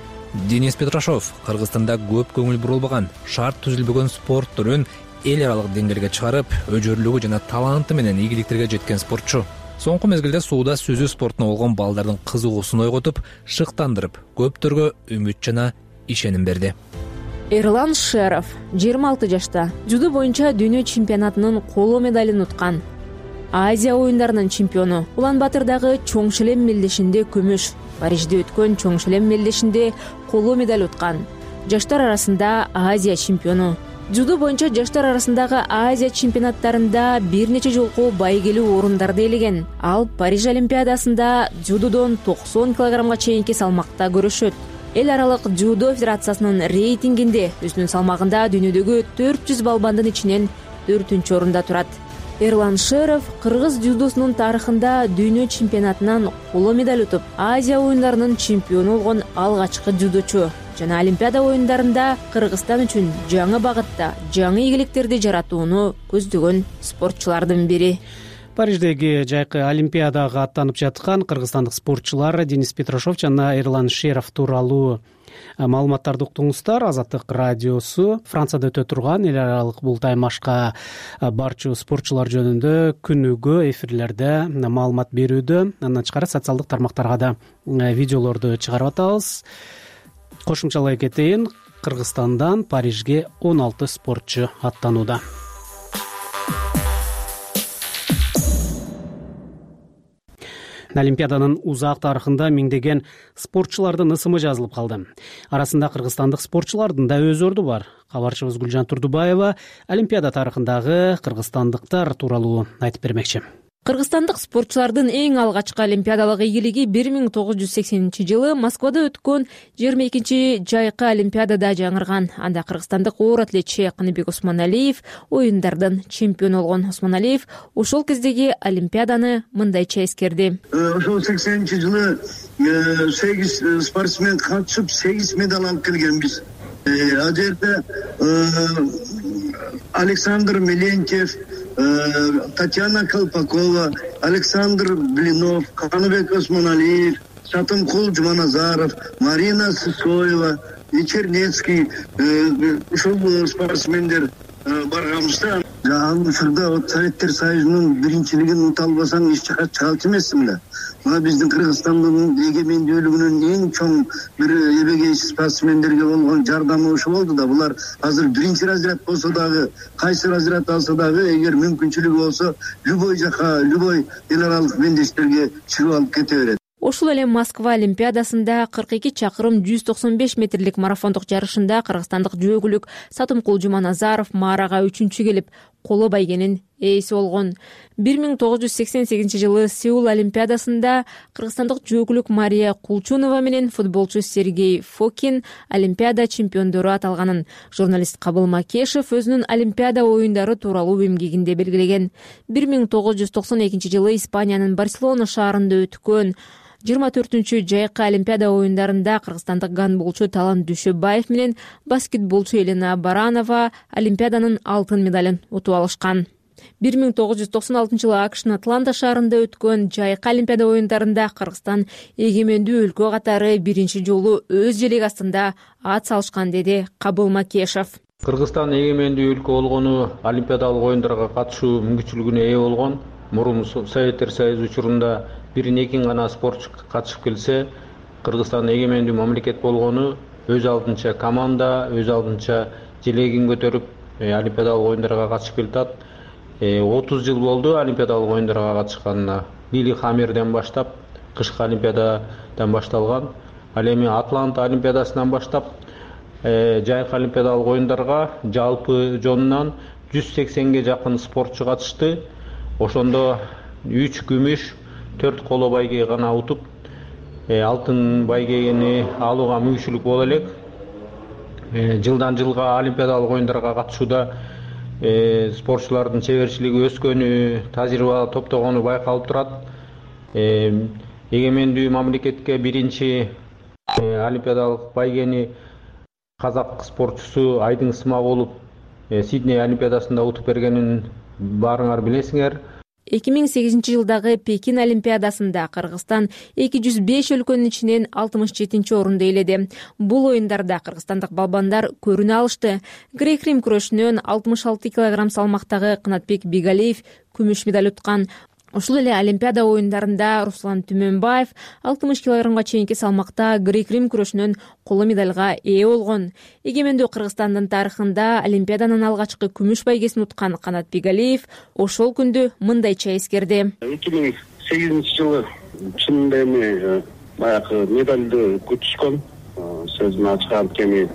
Денис Петрашов Кыргызстанда көп көңүл бурулбаган, шарт түзүлбөгөн спорт түрүн эл аралык деңгээлге чыгарып, өжөрлүгү жана таланты менен ийгиликтерге жеткен спортчу. Соңку мезгилде сууда сүзүү спортуна болгон балдардын кызыгуусун ойготуп, шыктандырып, көптөргө үмүт жана ишеним берди. Эрлан Шеров жыйырма алты жашта, дзюдо боюнча дүйнө чемпионатынын коло медалын уткан. Азия оюндарынын чемпиону. Улан-Батырдагы чоң шелем мелдешинде күмүш, Парижде өткөн чоң шелем мелдешинде коло медаль уткан. Жаштар арасында Азия чемпиону. Дзюдо боюнча жаштар арасындагы Азия чемпионаттарында бир нече жолку байгелүү орундарды ээлеген. Ал Париж Олимпиадасында дзюдодон токсон килограммга чейинки салмакта көрүшөт. Эл аралык дзюдо федерациясынын рейтингинде өзүнүн салмагында дүйнөдөгү төрт жүз балбандын ичинен төртүнчү орунда турат. Эрлан Шеров кыргыз дзюдосунун тарыхында дүйнө чемпионатынан коло медаль утуп, Азия оюндарынын чемпиону болгон алгачкы дзюдочу жана Олимпиада оюндарында Кыргызстан үчүн жаңы багытта жаңы ийгиликтерди жаратууну көздөгөн спортчулардын бири. Париждеги жайкы Олимпиадага аттанып жаткан кыргызстандык спортчулар Денис Петрашов жана Эрлан Шеров тууралуу маалыматтарды уктуңуздар. Азаттык радиосу Францияда өтө турган эл аралык бул таймашка барчу спортчулар жөнүндө күнүгө эфирлерде маалымат берүүдө. Андан тышкары социалдык тармактарга да видеолорду чыгарып атабыз. Кошумчалай кетейин, Кыргызстандан Парижге он алты спортчу аттанууда. Олимпиаданын узак тарыхында миңдеген спортчулардын ысымы жазылып калды. Арасында кыргызстандык спортчулардын да өз орду бар. Кабарчыбыз Гүлжан Турдубаева Олимпиада тарыхындагы кыргызстандыктар тууралуу айтып бермекчи. Кыргызстандык спортчулардын эң алгачкы олимпиадалык ийгилиги бир миң тогуз жүз сексенинчи жылы Москвада өткөн жыйырма экинчи жайкы олимпиадада жаңырган. Анда кыргызстандык оор атлетчи Каныбек Осмоналиев оюндардын чемпиону болгон. Осмоналиев ошол кездеги олимпиаданы мындайча эскерди. Ошол сексенинчи жылы сегиз спортсмен катышып, сегиз медаль алып келгенбиз. Ал жерде Александр Мелентьев, Татьяна Колпакова, Александр Блинов, Каныбек Осмоналиев, Сатымкул Жуманазаров, Марина Сысоева, Чернецкий ушул спортсмендер барганбызда Ал учурда вот Советтер Союзунун биринчилигин ута албасаң эч жака чыгалчу эмессиң да. Мына биздин Кыргызстандын эгемендүүлүгүнүн эң чоң бир эбегей спортсмендерге болгон жардамы ушул болду да. Булар азыр биринчи разряд болсо дагы, кайсы разряд алса дагы, эгер мүмкүнчүлүгү болсо, любой жака, любой эл аралык мендештерге чыгып алып кете берет. Ошол эле Москва Олимпиадасында кырк эки чакырым жүз токсон беш метрлик марафондук жарышында кыргызстандык жөөгүлүк Сатымкул Жуманазаров маарага үчүнчү келип, коло байгенин ээси болгон. бир миң тогуз жүз сексен сегизинчи жылы Сеул Олимпиадасында кыргызстандык жөөгүлүк Мария Кулчунова менен футболчу Сергей Фокин Олимпиада чемпиондору аталганын журналист Кабыл Макешев өзүнүн Олимпиада оюндары тууралуу эмгегинде белгилеген. бир миң тогуз жүз токсон экинчи жылы Испаниянын Барселона шаарында өткөн жыйырма төртүнчү жайкы Олимпиада оюндарында кыргызстандык гандболчу Талант Дүйшөбаев менен баскетболчу Елена Баранова Олимпиаданын алтын медалын утуп алышкан. бир миң тогуз жүз токсон алтынчы жылы АКШнын Атланта шаарында өткөн жайкы Олимпиада оюндарында Кыргызстан эгемендүү өлкө катары биринчи жолу өз желеги астында ат салышкан, деди Кабыл Макешев. Кыргызстан эгемендүү өлкө болгону Олимпиадалык оюндарга катышуу мүмкүнчүлүгүнө ээ болгон. Мурун Советтер Союзу учурунда бир-эки гана спортчу катышып келсе, Кыргызстан эгемендүү мамлекет болгону өз алдынча команда, өз алдынча желегин көтөрүп Олимпиадалык оюндарга катышып келатат. отуз жыл болду Олимпиадалык оюндарга катышканына. Лилихаммерден баштап, кышкы Олимпиададан башталган. Ал эми Атланта Олимпиадасынан баштап, жайкы Олимпиадалык оюндарга жалпы жонунан жүз сексенге жакын спортчу катышты. Ошондо үч күмүш, төрт коло байге гана утуп, алтын байгени алууга мүмкүнчүлүк боло элек. Жылдан жылга Олимпиадалык оюндарга катышууда спортчулардын чеберчилиги өскөнү, тажрыйба топтогону байкалып турат. Эгемендүү мамлекетке биринчи Олимпиадалык байгени казак спортчусу Айдың Ысмагулов Сидней Олимпиадасында утуп бергенин баарыңар билесиңер. эки миң сегизинчи жылдагы Пекин Олимпиадасында Кыргызстан эки жүз беш өлкөнүн ичинен алтымыш жетинчи орунду ээледи. Бул оюндарда кыргызстандык балбандар көрүнө алышты. Грек-рим күрөшүнөн алтымыш алты килограмм салмактагы Кынатбек Бигалиев күмүш медаль уткан. Ушул эле Олимпиада оюндарында Руслан Түмөнбаев алтымыш килограммга чейинки салмакта грек-рим күрөшүнөн коло медальга ээ болгон. Эгемендүү Кыргызстандын тарыхында Олимпиаданын алгачкы күмүш байгесин уткан Канат Бигалиев ошол күндү мындайча эскерди. эки миң сегизинчи жылы чынында эми баягы медалды күтүшкөн. Сөзүн ачык анткени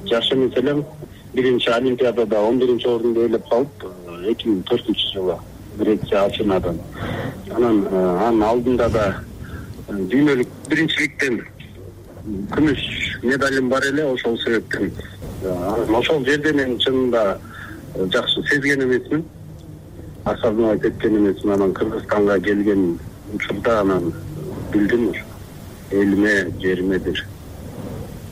жаш эмес элем. Биринчи Олимпиадада он биринчи орунду ээлеп калып, эки миң төртүнчү жылы Греция Афинадан. Анан анын алдында да дүйнөлүк биринчиликтен күмүш медалим бар эле. Ошол себептен ошол жерде мен чынында жакшы сезген эмесмин, асабыма кеткен эмесмин. Анан Кыргызстанга келген учурда анан билдим, элиме, жериме бир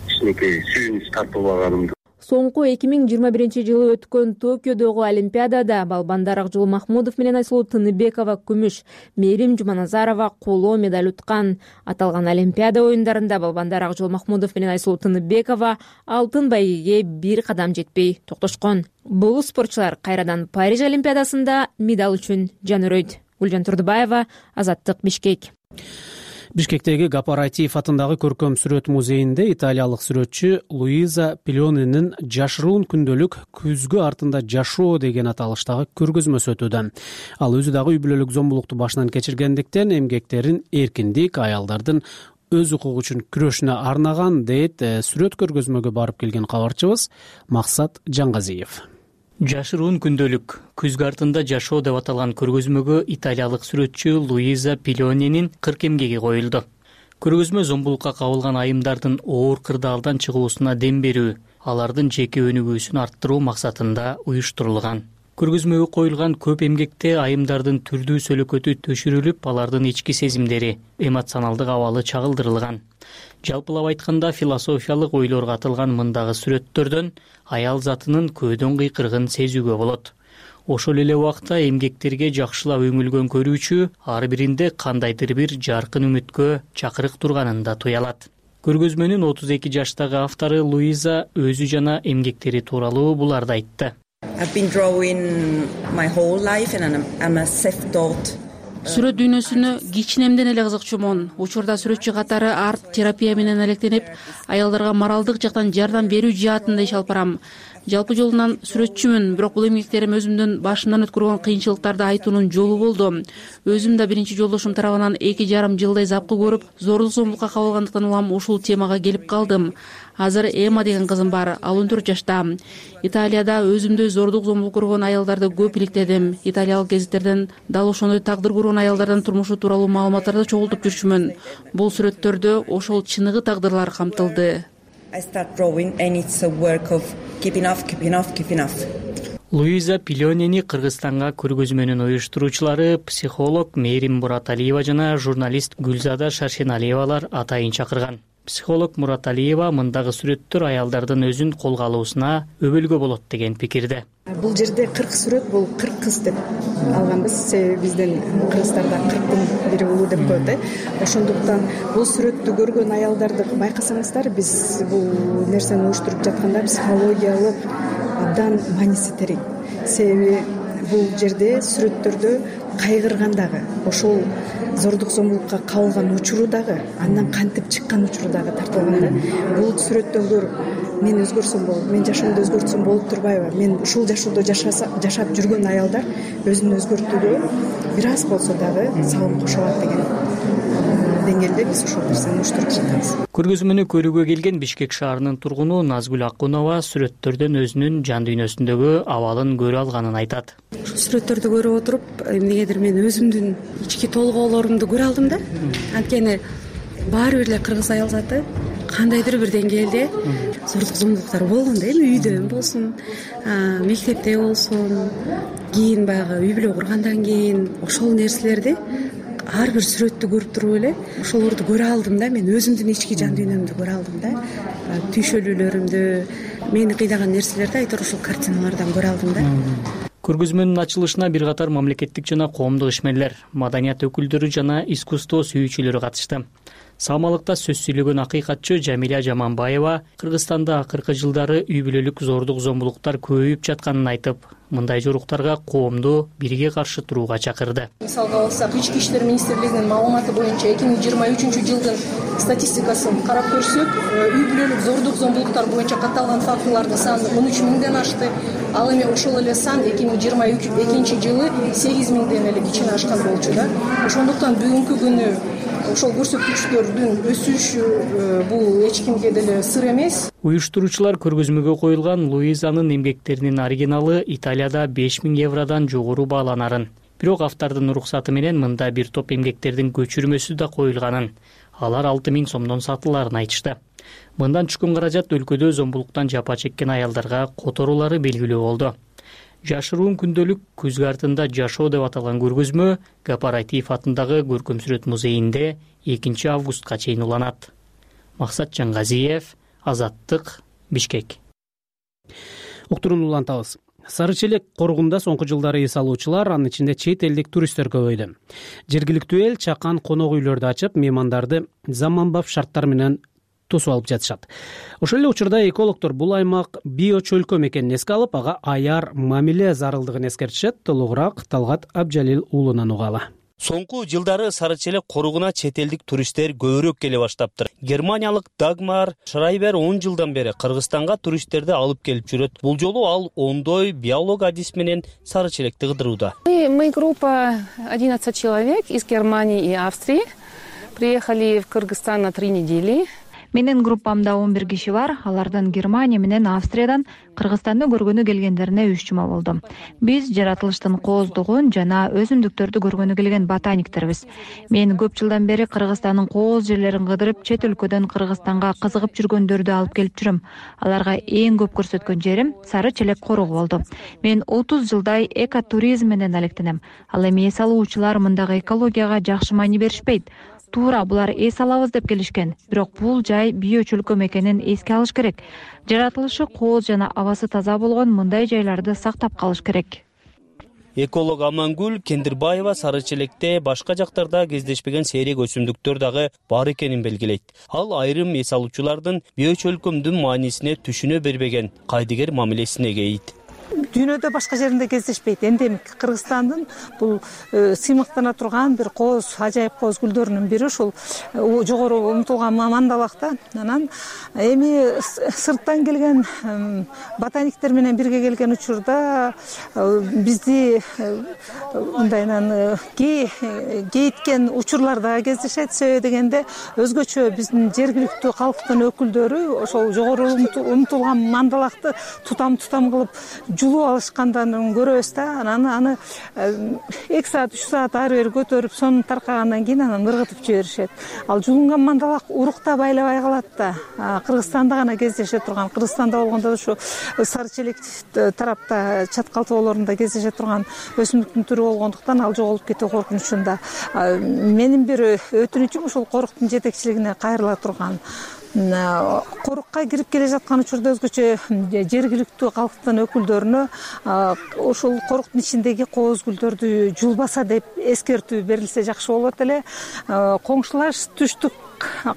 кичинекей сүйүнүч тартып алганымды. Соңку эки миң жыйырма биринчи жылы өткөн Токиодогу Олимпиадада балбандар Акжол Махмудов менен Айсулуу Тыныбекова күмүш, Мээрим Жуманазарова коло медаль уткан. Аталган Олимпиада оюндарында балбандар Акжол Махмудов менен Айсулуу Тыныбекова алтын байгеге бир кадам жетпей токтошкон. Бул спортчулар кайрадан Париж Олимпиадасында медаль үчүн жан өрөйт. Гүлжан Турдубаева, Азаттык, Бишкек. Бишкектеги Гапаратиев атындагы көркөм сүрөт музейинде италиялык сүрөтчү Луиза Пилонинин «Жашыруун күндөлүк күзгү артында жашоо» деген аталыштагы көргөзмөсү өтүүдө. Ал өзү дагы үй бүлөлүк зомбулукту башынан кечиргендиктен эмгектерин эркиндик, аялдардын өз укугу үчүн күрөшүнө арнаган, дейт сүрөт көргөзмөгө барып келген кабарчыбыз Максат Жаңгазиев. Жашыруун күндөлүк күзгү артында жашоо деп аталган көргөзмөгө италиялык сүрөтчү Луиза Пилонинин кырк эмгеги коюлду. Көргөзмө зомбулукка кабылган айымдардын оор кырдаалдан чыгуусуна дем берүү, алардын жеке өнүгүүсүн арттыруу максатында уюштурулган. Көргөзмөгө коюлган көп эмгекте айымдардын түрдүү сөлөкөтү төшүрүлүп, алардын ички сезимдери, эмоционалдык абалы чагылдырылган. Жалпылап айтканда, философиялык ойлорго атылган мындагы сүрөттөрдөн аял затынын көөдөн кыйкырыгын сезүүгө болот. Ошол эле убакта эмгектерге жакшылап өңүлгөн көрүүчү ар биринде кандайдыр бир жаркын үмүткө чакырык турганын да туя алат. Көргөзмөнүн отуз эки жаштагы автору Луиза өзү жана эмгектери тууралуу буларды айтты. Сүрөт дүйнөсүнө кичинемден эле кызыкчумун. Учурда сүрөтчү катары арт терапия менен алектенип, аялдарга моралдык жактан жардам берүү жаатында иш алып барам. Жалпы жолунан сүрөтчүмүн, бирок бул эмгектерим өзүмдүн башымдан өткөргөн кыйынчылыктарды айтуунун жолу болду. Өзүм да биринчи жолдошум тарабынан эки жарым жылдай запкы көрүп, зордук зомбулукка кабылгандыктан улам ушул темага келип калдым. Азыр Эма деген кызым бар, ал он төрт жашта. Италияда өзүмдөй зордук зомбулук көргөн аялдарды көп иликтедим. Италиялык гезиттерден дал ошондой тагдыр көргөн аялдардын турмушу тууралуу маалыматтарды чогултуп жүрчүмүн. Бул сүрөттөрдө ошол чыныгы тагдырлар камтылды. Луиза Пилонени Кыргызстанга көргөзмөнүн уюштуруучулары психолог Мээрим Мураталиева жана журналист Гүлзада Шаршеналиевалар атайын чакырган. Психолог Мураталиева мындагы сүрөттөр аялдардын өзүн колго алуусуна өбөлгө болот деген пикирде. Бул жерде кырк сүрөт, бул кырк кыз деп алганбыз. Себеби биздин Кыргызстанда кырктын бири улуу деп коет э. Ошондуктан бул сүрөттү көргөн аялдарды байкасаңыздар, биз бул нерсени уюштуруп жатканда психологиялык абдан мааниси терең. Себеби бул жерде сүрөттөрдө кайгырган дагы, ошол зордук зомбулукка кабылган учуру дагы, андан кантип чыккан учуру дагы тартылган да. Бул сүрөттөн көрүп мен өзгөрсөм болот, мен жашоомду өзгөртсөм болуп турбайбы? Мен ушул жашоодо жашап жүргөн аялдар өзүн өзгөртүүгө бир аз болсо дагы салым кошо алат деген деңгээлде биз ошол нерсени уюштуруп жатабыз. Көргөзмөнү көрүүгө келген Бишкек шаарынын тургуну Назгүл Акунова сүрөттөрдөн өзүнүн жан дүйнөсүндөгү абалын көрө алганын айтат. Ушул сүрөттөрдү көрүп отуруп, эмнегедир мен өзүмдүн ички толгоолорумду көрө алдым да. Анткени баары бир эле кыргыз аял заты кандайдыр бир деңгээлде зордук зомбулуктар болгон да, эми үйдөн болсун, мектепте болсун, кийин баягы үй бүлө кургандан кийин ошол нерселерди ар бир сүрөттү көрүп туруп эле ошолорду көрө алдым да. Мен өзүмдүн ички жан дүйнөмдү көрө алдым да. Түйшөлүүлөрүмдү, мени кыйнаган нерселерди айтор ушул картиналардан көрө алдым да. Көргөзмөнүн ачылышына бир катар мамлекеттик жана коомдук ишмерлер, маданият өкүлдөрү жана искусство сүйүүчүлөрү катышты. Саамалыкта сөз сүйлөгөн акыйкатчы Жамиля Жаманбаева Кыргызстанда акыркы жылдары үй бүлөлүк зордук зомбулуктар көбөйүп жатканын айтып, мындай жоруктарга коомду бирге каршы турууга чакырды. Мисалга алсак, Ички иштер министрлигинин маалыматы боюнча эки миң жыйырма үчүнчү жылдын статистикасын карап көрсөк, үй бүлөлүк зордук зомбулуктар боюнча катталган фактылардын саны он үч миңден ашты. Ал эми ошол эле сан эки миң жыйырма экинчи жылы сегиз миңден эле кичине ашкан болчу да. Ошондуктан бүгүнкү күнү ошол көрсөткүчтөрдүн өсүшү бул эч кимге деле сыр эмес. Уюштуруучулар көргөзмөгө коюлган Луизанын эмгектеринин оригиналы Италияда беш миң евродон жогору бааланарын. Бирок автордун уруксаты менен мында бир топ эмгектердин көчүрмөсү да коюлганын, алар алты миң сомдон сатылаарын айтышты. Мындан түшкөн каражат өлкөдө зомбулуктан жапа чеккен аялдарга которуулары белгилүү болду. Жашыруун күндөлүк күзгү артында жашоо деп аталган көргөзмө Гапарайтиев атындагы Көркөм сүрөт музейинде экинчи августка чейин уланат. Максат Жангазиев, Азаттык, Бишкек. Уктурууну улантабыз. Сары Челек коргунда соңку жылдары эс алуучулар, анын ичинде чет элдик туристтер көбөйдү. Жергиликтүү эл чакан конок үйлөрдү ачып, меймандарды заманбап шарттар менен тосуп алып жатышат. Ошол эле учурда экологдор бул аймак био чөлкөм экенин эске алып, ага аяр мамиле зарылдыгын эскертишет. Толугураак Талгат Абжалил уулунан угалы. Соңку жылдары Сары Челек коргуна чет элдик туристтер көбүрөөк келе баштаптыр. Германиялык Дагмар Шрайбер он жылдан бери Кыргызстанга туристтерди алып келип жүрөт. Бул жолу ал ондой биолог адис менен Сары Челекти кыдырууда. Мы группа одиннадцать человек из Германии и Австрии. Приехали в Кыргызстан на три недели. Менин группамда он бир киши бар. Алардан Германия менен Австриядан Кыргызстанды көргөнү келгендерине үч жума болду. Биз жаратылыштын кооздугун жана өсүмдүктөрдү көргөнү келген ботаниктербиз. Мен көп жылдан бери Кыргызстандын кооз жерлерин кыдырып, чет өлкөдөн Кыргызстанга кызыгып жүргөндөрдү алып келип жүрөм. Аларга эң көп көрсөткөн жерим Сары Челек корогу болду. Мен отуз жылдай экотуризм менен алектенем. Ал эми эс алуучулар мындагы экологияга жакшы маани беришпейт. Туура булар эс алабыз деп келишкен. Бирок бул жай био чөлкөм экенин эске алыш керек. Жаратылышы кооз жана абасы таза болгон мындай жайларды сактап калыш керек. Эколог Амангүл Кендирбаева Сары Челекте башка жактарда кездешпеген сейрек өсүмдүктөр дагы бар экенин белгилейт. Ал айрым эс алуучулардын био чөлкөмдүн маанисине түшүнө бербеген кайдыгер мамилесине кейит. дүйнөдө башка жеринде кездешпейт. Эндемик Кыргызстандын бул сыймыктана турган бир кооз, ажайып кооз гүлдөрүнүн бири ушул жогору умтулган мандалакта. Анан эми сырттан келген ботаниктер менен бирге келген учурда бизди мындайынан кейиткен учурлар да кездешет. Себеби дегенде өзгөчө биздин жергиликтүү калктын өкүлдөрү ошол жогору умтулган мандалакты тутам тутам кылып жулуп алышкандан көрөбүз да. Анан аны эки саат үч саат ары бери көтөрүп сонун таркагандан кийин анан ыргытып жиберишет. Ал жулунган мандалак уруктап айлабай калат да. Кыргызстанда гана кездеше турган, Кыргызстанда болгондо ушу сары челек тарапта чаткалтоолорунда кездеше турган өсүмдүктүн түрү болгондуктан ал жоголуп кетүү коркунучунда. Менин бир өтүнүчүм ушул коруктун жетекчилигине кайрыла турган. Корукка кирип келе жаткан учурда өзгөчө жергиликтүү калктын өкүлдөрүнө ушул коруктун ичиндеги кооз гүлдөрдү жулбаса деп эскертүү берилсе жакшы болот эле. Коңшулаш түштүк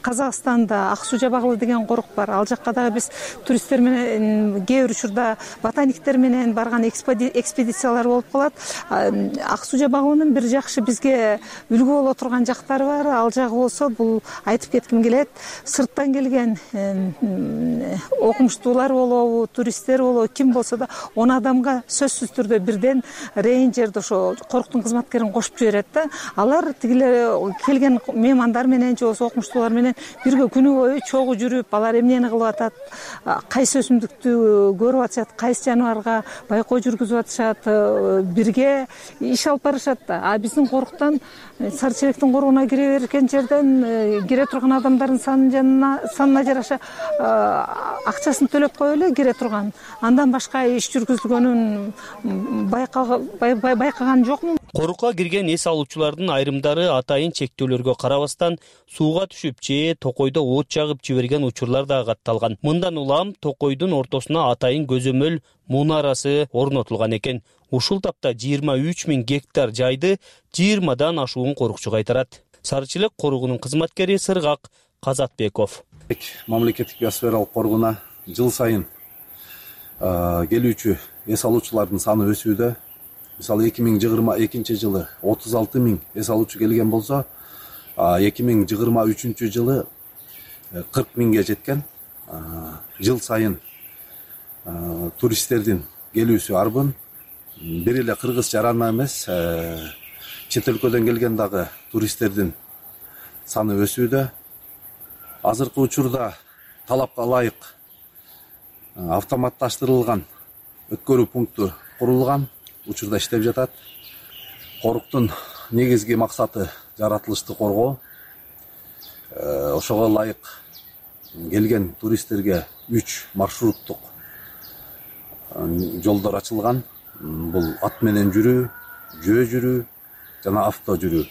Казакстанда Ак Суу Жабагылы деген корук бар. Ал жакка дагы биз туристтер менен кээ бир учурда ботаниктер менен барган экспедициялар болуп калат. Ак Суу Жабагылынын бир жакшы бизге үлгү боло турган жактары бар. Ал жагы болсо бул айтып кетким келет. Сырттан келген окумуштуулар болобу, туристтер болобу, ким болсо да он адамга сөзсүз түрдө бирден рейнджерди ошо коруктун кызматкерин кошуп жиберет да. Алар тигилер келген меймандар менен же болбосо окумуштуулар менен бирге күнү бою чогуу жүрүп, алар эмнени кылып атат, кайсы өсүмдүктү көрүп атышат, кайсы жаныбарга байкоо жүргүзүп атышат, бирге иш алып барышат да. А биздин коруктан сары челектин коругуна кире берген жерден кире турган адамдардын санына жараша акчасын төлөп коюп эле кире турган. Андан башка иш жүргүзүлгөнүн байкаган жокмун. Корукка кирген эс алуучулардын айрымдары атайын чектөөлөргө карабастан сууга түшүп же токойдо от жагып жиберген учурлар да катталган. Мындан улам токойдун ортосуна атайын көзөмөл мунарасы орнотулган экен. Ушул тапта жыйырма үч миң гектар жайды жыйырмадан ашуун корукчу кайтарат. Сары челек коругунун кызматкери Сыргак Казатбеков. Мамлекеттик биосфералык коргуна жыл сайын келүүчү эс алуучулардын саны өсүүдө. Мисалы эки миң жыйырма экинчи жылы отуз алты миң эс алуучу келген болсо, эки миң жыйырма үчүнчү жылы кырк миңге жеткен. Жыл сайын туристтердин келүүсү арбын. Бир эле кыргыз жарана эмес, чет өлкөдөн келген дагы туристтердин саны өсүүдө. Азыркы учурда талапка ылайык автоматташтырылган өткөрүү пункту курулган, учурда иштеп жатат. Коруктун негизги максаты жаратылышты коргоо. Ошого ылайык келген туристтерге үч маршруттук жолдор ачылган. Бул ат менен жүрүү, жөө жүрүү жана авто жүрүү.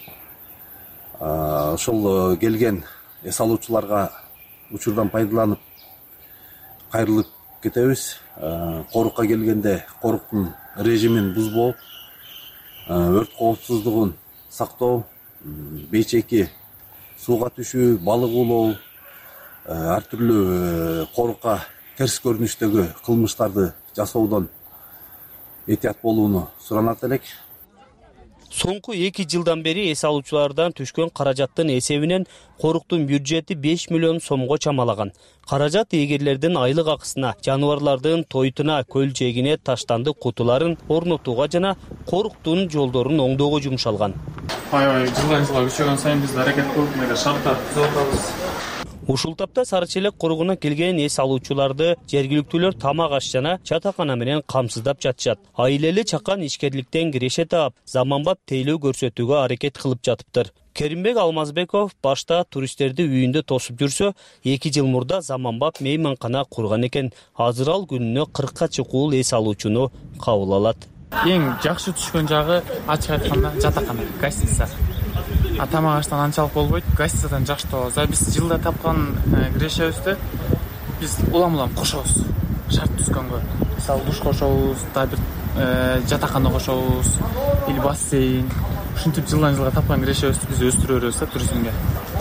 Ошол келген эс алуучуларга учурдан пайдаланып кайрылып кетебиз. Корукка келгенде коруктун режимин бузбоо, өрт коопсуздугун сактоо, бейчеки сууга түшүү, балык улоо, ар түрлүү корукка терс көрүнүштөгү кылмыштарды жасоодон этият болууну суранат элек. Соңку эки жылдан бери эс алуучулардан түшкөн каражаттын эсебинен коруктун бюджети беш миллион сомго чамалаган. Каражат эгерлердин айлык акысына, жаныбарлардын тойтуна, көл жээгине таштандык кутуларын орнотууга жана коруктун жолдорун оңдоого жумшалган. Аябай жылдан жылга күчөгөн сайын биз аракет кылып мындай шарттарды түзүп атабыз. Ушул тапта сары челек коругуна келген эс алуучуларды жергиликтүүлөр тамак аш жана чатакана менен камсыздап жатышат. Айлелүү чакан ишкерликтен киреше таап, заманбап тейлөө көрсөтүүгө аракет кылып жатыптыр. Керимбек Алмазбеков башта туристтерди үйүндө тосуп жүрсө, эки жыл мурда заманбап мейманкана курган экен. Азыр ал күнүнө кыркка чукул эс алуучуну кабыл алат. Эң жакшы түшкөн жагы ачык айтканда жатакана, гостиница. А тамак аштан анчалык болбойт, гостиницадан жакшы табабыз. А биз жылда тапкан кирешебизди биз улам-улам кошобуз. Шарт түзгөнгө. Мисалы душ кошобуз, да бир жатакана кошобуз, или бассейн. Ушинтип жылдан жылга тапкан кирешебизди биз өстүрө беребиз да туризмге.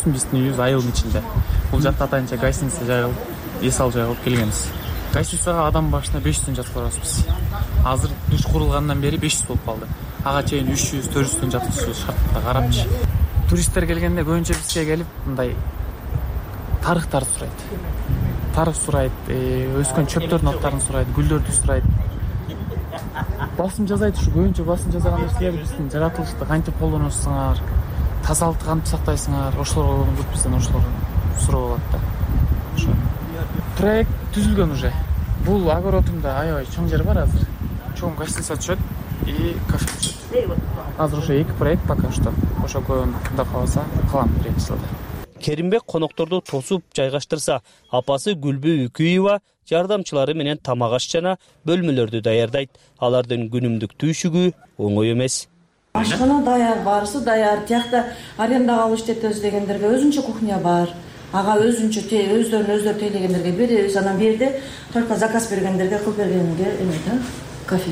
Биздин үйүбүз айылдын ичинде. Бул жакта атайынча гостиница жайылып, эс алуу жай кылып келгенбиз. гостиницага адам башына беш жүз сом жатып барабыз. Азыр душ курулгандан бери беш жүз болуп калды. Ага чейин үч жүз төрт жүз сом жатышыбыз шартта карапчы. Туристтер келгенде көбүнчө бизге келип мындай тарыхтарды сурайт. Тарых сурайт, өскөн чөптөрдүн аттарын сурайт, гүлдөрдү сурайт. Басым жасайт ушу көбүнчө басым жасаган нерселер биздин жаратылышты кантип колдоносуңар, тазалыкты кантип сактайсыңар, ошолорго көп бизден ошолорду сурап алат да. Ошо проект түзүлгөн уже. Бул огородунда аябай чоң жер бар азыр. Чоң гостиница түшөт и кафе түшөт. Азыр ошо эки проект пока что. Ошо көбүн да калса кылам бир-эки жылда. Керимбек конокторду тосуп жайгаштырса, апасы Гүлбү Үкүева жардамчылары менен тамак аш жана бөлмөлөрдү даярдайт. Алардын күнүмдүк түйшүгү оңой эмес. Ашкана даяр, баарысы даяр. Тиякта арендага алып иштетебиз дегендерге өзүнчө кухня бар. Ага өзүнчө өздөрүн өздөрү тейлегендерге беребиз. Анан бул жерде только заказ бергендерге кылып бергенге эме да, кафе.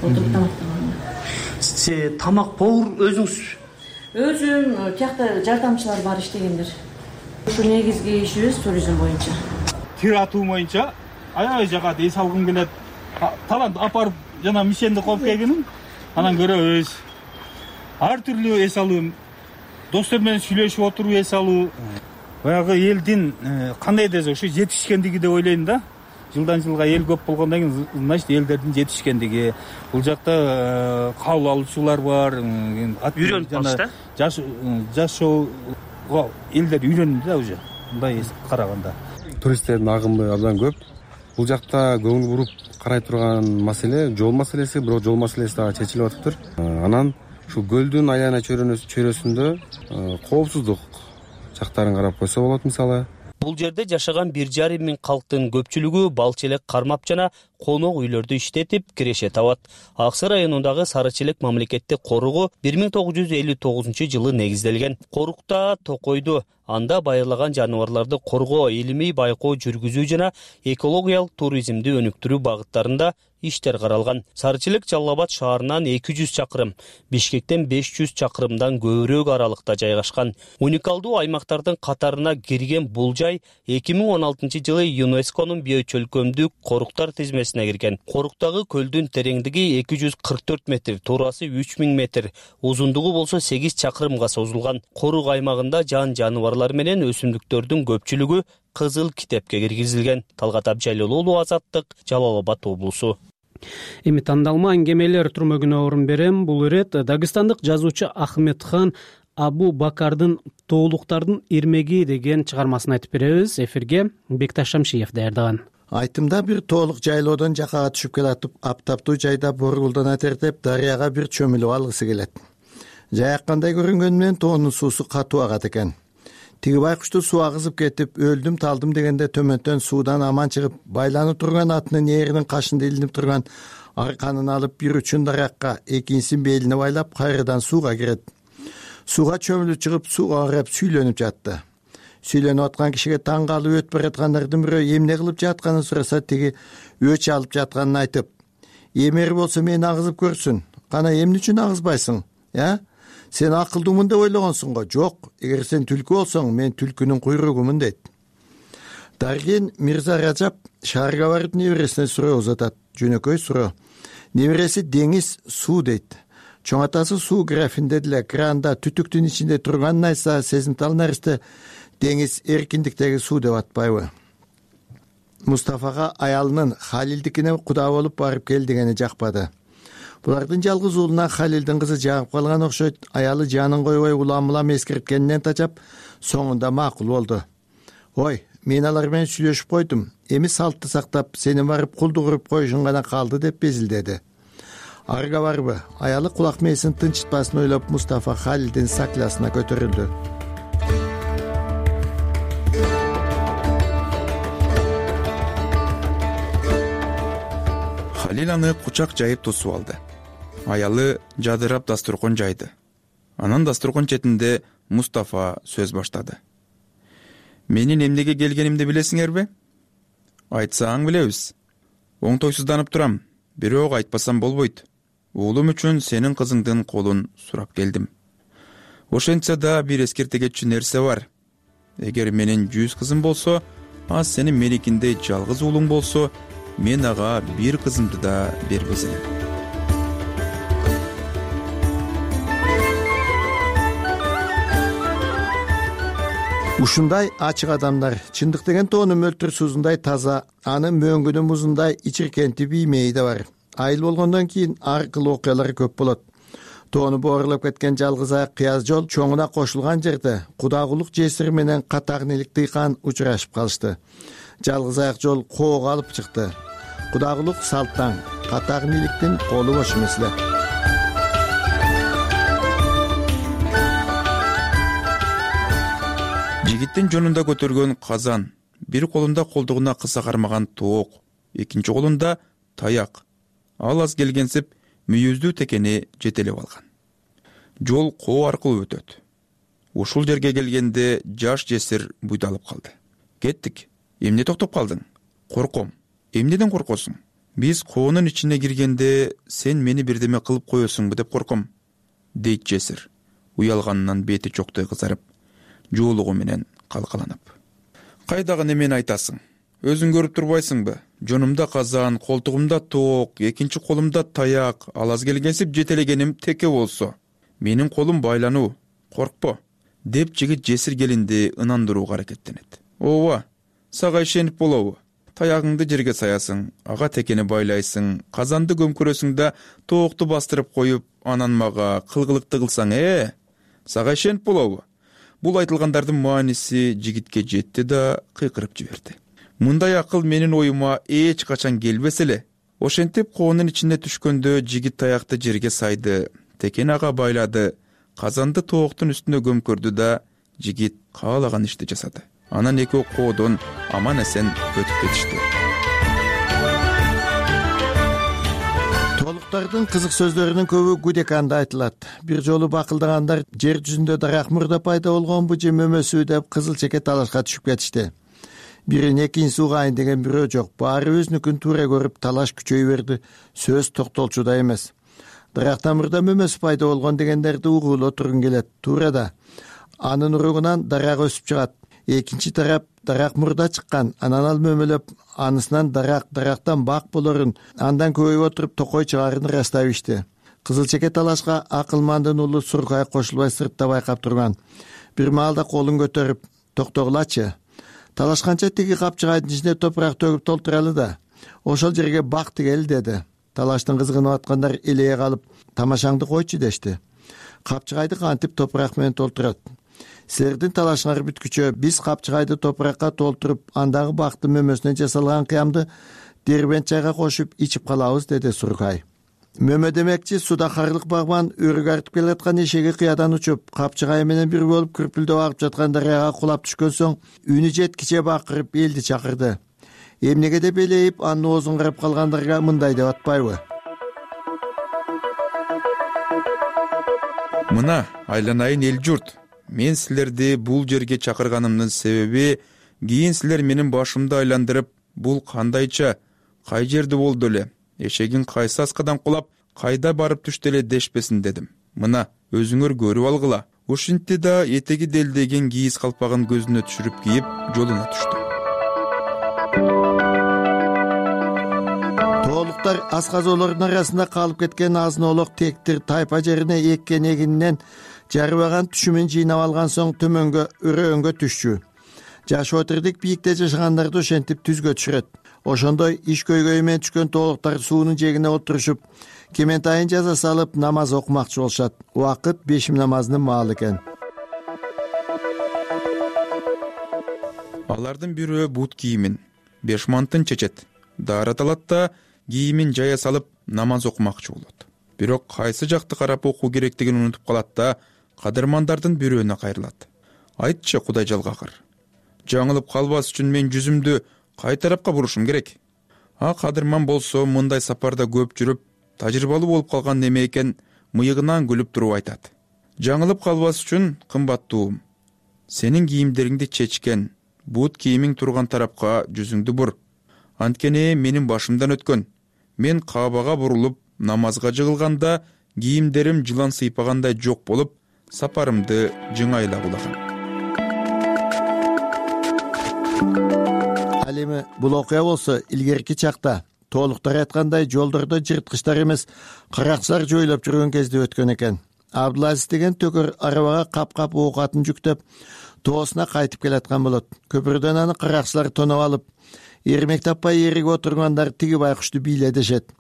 Отуруп тамактаган. Сиз тамак повар өзүңүз? Өзүм, тиякта жардамчылар бар иштегендер. Ушу негизги ишибиз туризм боюнча. Кир атуу боюнча аябай жагат, эс алгым келет. Талант апарып жана мишенди коюп келгеним, анан көрөбүз. Ар түрлүү эс алуу, достор менен сүйлөшүп отуруп эс алуу, баягы элдин кандай десе ушу жетишкендиги деп ойлойм да. Жылдан жылга эл көп болгондон кийин, значит, элдердин жетишкендиги. Бул жакта кабыл алуучулар бар. Үйрөнүп калышты. Жаш жашоого элдер үйрөнүп да уже. Мындай караганда. Туристтердин агымы абдан көп. Бул жакта көңүл буруп карай турган маселе жол маселеси, бирок жол маселеси дагы чечилип атыптыр. Анан ушул көлдүн аяна чөйрөсүндө коопсуздук жактарын карап койсо болот мисалы. Бул жерде жашаган бир жарым миң калктын көпчүлүгү бал челек кармап жана конок үйлөрдү иштетип киреше табат. Аксы районундагы Сары Челек мамлекеттик коругу бир миң тогуз жүз элүү тогузунчу жылы негизделген. Корукта токойду, анда байырлаган жаныбарларды коргоо, илимий байкоо жүргүзүү жана экологиялык туризмди өнүктүрүү багыттарында иштер каралган. Сары Челек Жалал Абад шаарынан эки жүз чакырым, Бишкектен беш жүз чакырымдан көбүрөөк аралыкта жайгашкан. Уникалдуу аймактардын катарына кирген бул жай эки миң он алтынчы жылы ЮНЕСКОнун биочөлкөмдүк коруктар тизмесине кирген. Коруктагы көлдүн тереңдиги эки жүз кырк төрт метр, туурасы үч миң метр, узундугу болсо сегиз чакырымга созулган. Корук аймагында жан жаныбарлар менен өсүмдүктөрдүн көпчүлүгү кызыл китепке киргизилген. Талгат Абжайлуулу, Азаттык, Жалал Абад облусу. Эми тандалма аңгемелер түрмөгүнө орун берем. Бул ирет дагыстандык жазуучу Ахметхан Абу Бакардын Тоолуктардын ирмеги деген чыгармасын айтып беребиз. Эфирге Бекташ Шамшиев даярдаган. Айтымда бир тоолук жайлоодон жакага түшүп келатып, аптаптуу жайда боргулдана тертеп, дарыяга бир чөмүлүп алгысы келет. Жаяккандай көрүнгөнү менен тоонун суусу катуу агат экен. Тиги байкушту суу агызып кетип, өлдүм талдым дегенде төмөндөн суудан аман чыгып, байланып турган атынын ээринин кашында илинип турган арканын алып, бир учун даракка, экинчисин белине байлап, кайрадан сууга кирет. Сууга чөмүлүп чыгып, сууга карап сүйлөнүп жатты. Сүйлөнүп аткан кишиге таң калып өтүп бараткандардын бирөө эмне кылып жатканын сураса, тиги өч алып жатканын айтып, эмери болсо мени агызып көрсүн. Кана эмне үчүн агызбайсың? Я? Сен акылдуумун деп ойлогонсуң го? Жок, эгер сен түлкү болсоң, мен түлкүнүн куйругумун дейт. Дарген Мирза Ражап шаарга барып небересине суроо узатат. Жөнөкөй суроо. Небереси деңиз, суу дейт. Чоң атасы суу графинде деле кранда түтүктүн ичинде турганын айтса, сезимтал наристе деңиз эркиндиктеги суу деп атпайбы? Мустафага аялынын Халилдикине куда болуп барып кел дегени жакпады. Булардын жалгыз уулуна Халилдин кызы жагып калган окшойт. Аялы жанын койбой улам-улам эскерткенинен тажап, соңунда макул болду. Ой, мен алар менен сүйлөшүп койдум. Эми салтты сактап, сени барып кулду куруп коюшуң гана калды деп безилдеди. Арга барбы? Аялы кулак мээсин тынчытпасын ойлоп, Мустафа Халилдин саклясына көтөрүлдү. Халил аны кучак жайып тосуп алды. Аялы жадырап дасторкон жайды. Анан дасторкон четинде Мустафа сөз баштады. Менин эмнеге келгенимди билесиңерби? Айтсаң билебиз. Оңтойсузданып турам, бирок айтпасам болбойт. Уулум үчүн сенин кызыңдын колун сурап келдим. Ошентсе да бир эскертегечү нерсе бар. Эгер менин жүз кызым болсо, а сенин меникиндей жалгыз уулуң болсо мен ага бир кызымды да бербес элем. Ушундай ачык адамдар чындык деген тоону мөлтүр суусундай таза, анын мөңгүнүн музундай ичиркенти биймейи да бар. Айыл болгондон кийин ар кыл окуялар көп болот. Тоону боорлоп кеткен жалгыз аяк кыяз жол чоңуна кошулган жерде Кудагулук жесир менен Катагнилик Тыйкан учурашып калышты. Жалгыз аяк жол коого алып чыкты. Кудагулук салттан, Катагниликтин колу бош эмес эле. Жигиттин жонунда көтөргөн казан, бир колунда колдугуна кыса кармаган тоок, экинчи колунда таяк. Ал аз келгенсип мүйүздүү текени жетелеп алган. Жол коо аркылуу өтөт. Ушул жерге келгенде жаш жесир буйдалып калды. Кеттик. Эмне токтоп калдың? Корком. Эмнеден коркосуң? Биз коонун ичине киргенде сен мени бирдеме кылып коесуңбу деп корком, дейт жесир. Уялганынан бети чоктой кызарып, жоолугу менен калкаланып. Кайдагы немени айтасың? Өзүң көрүп турбайсыңбы? Жонумда казан, колтугумда тоок, экинчи колумда таяк, ал аз келгенсип жетелегеним теке болсо. Менин колум байлануу. Коркпо, деп жигит жесир келинди ынандырууга аракеттенет. Ооба, сага ишенип болобу? Таягыңды жерге саясың, ага текени байлайсың, казанды көмкөрөсүң да тоокту бастырып коюп, анан мага кылгылыкты кылсаң, э? Сага ишенип болобу? Бул айтылгандардын мааниси жигитке жетти да кыйкырып жиберди. Мындай акыл менин оюма эч качан келбес эле. Ошентип коонун ичине түшкөндө жигит таякты жерге сайды, текен ага байлады, казанды тооктун үстүнө көмкөрдү да жигит каалаган ишти жасады. Анан экөө коодон аман эсен өтүп кетишти. Тоолуктардын кызык сөздөрүнүн көбү Гудеканда айтылат. Бир жолу бакылдагандар жер жүзүндө дарак мурда пайда болгонбу же мөмөсү деп кызыл чеке талашка түшүп кетишти. Бирин экинчиси угайын деген бирөө жок. Баары өзүнүкүн туура көрүп талаш күчөй берди. Сөз токтолчу да эмес. Дарактан мурда мөмөсү пайда болгон дегендерди угуулоо тургун келет. Туура да. Анын уругунан дарак өсүп чыгат. Экинчи тарап дарак мурда чыккан, анан ал мөмөлөп, анысынан дарак, дарактан бак болорун, андан көбөйүп отуруп токой чыгарын ырастап ишти. Кызыл чеке талашка акылмандын уулу Суркай кошулбай сыртта байкап турган. Бир маалда колун көтөрүп, токтогулачы. Талашканча тиги капчыгайдын ичине топурак төгүп толтуралы да. Ошол жерге бак тигели деди. Талаштын кызыгынып аткандар элее калып, тамашаңды койчу дешти. Капчыгайды кантип топурак менен толтурат? Силердин талашыңар бүткүчө биз капчыгайды топуракка толтуруп, андагы бакты мөмөсүнөн жасалган кыямды дербент чайга кошуп ичип калабыз, деди Суркай. Мөмө демекчи суда карлык багман өрүк артып келаткан эшеги кыядан учуп, капчыгай менен бир болуп күрпүлдөп агып жаткан дарыяга кулап түшкөн соң, үнү жеткиче бакырып элди чакырды. Эмнеге деп элейип, анын оозун карап калгандарга мындай деп атпайбы? Мына, айланайын эл журт. Мен силерди бул жерге чакырганымдын себеби, кийин силер менин башымды айландырып, бул кандайча, кай жерде болду эле, эшегин кайсы аскадан кулап, кайда барып түштү эле дешпесин дедим. Мына, өзүңөр көрүп алгыла. Ушинтти да этеги делдеген кийиз калпагын көзүнө түшүрүп кийип, жолуна түштү. Тоолуктар асказоолордун арасында калып кеткен азын-оолок тектир тайпа жерине эккен эгининен жарыбаган түшүмүн жыйнап алган соң төмөнгө өрөөнгө түшчү. Жаш отурдук бийикте жашагандарды ошентип түзгө түшүрөт. Ошондой иш көйгөйү менен түшкөн тоолуктар суунун жээгине отурушуп, кементайын жаза салып намаз окумакчы болушат. Убакыт бешим намазынын маалы экен. Алардын бирөө бут кийимин, беш мантын чечет. Даарат алат да кийимин жая салып намаз окумакчы болот. Бирок кайсы жакты карап окуу керектигин унутуп калат да кадырмандардын бирөөнө кайрылат. Айтчы, Кудай жалгакыр. Жаңылып калбас үчүн мен жүзүмдү кай тарапка бурушум керек? А кадырман болсо мындай сапарда көп жүрүп, тажрыйбалуу болуп калган неме экен, мыйыгынан күлүп туруп айтат. Жаңылып калбас үчүн кымбаттуум, сенин кийимдериңди чечкен, бут кийимиң турган тарапка жүзүңдү бур. Анткени менин башымдан өткөн. Мен Каабага бурулуп, намазга жыгылганда кийимдерим жылан сыйпагандай жок болуп, сапарымды жыңайлап улагам. ал эми бул окуя болсо илгерки чакта, толуктар айткандай жолдордо жырткычтар эмес каракчылар жойлоп жүргөн кезде өткөн экен. Абдулазиз деген төкөр арабага кап-кап оокатын жүктөп тоосуна кайтып келаткан болот. Көпүрдөн аны каракчылар тоноп алып, эрмек таппай эригип отургандар тиги байкушту бийле дешет.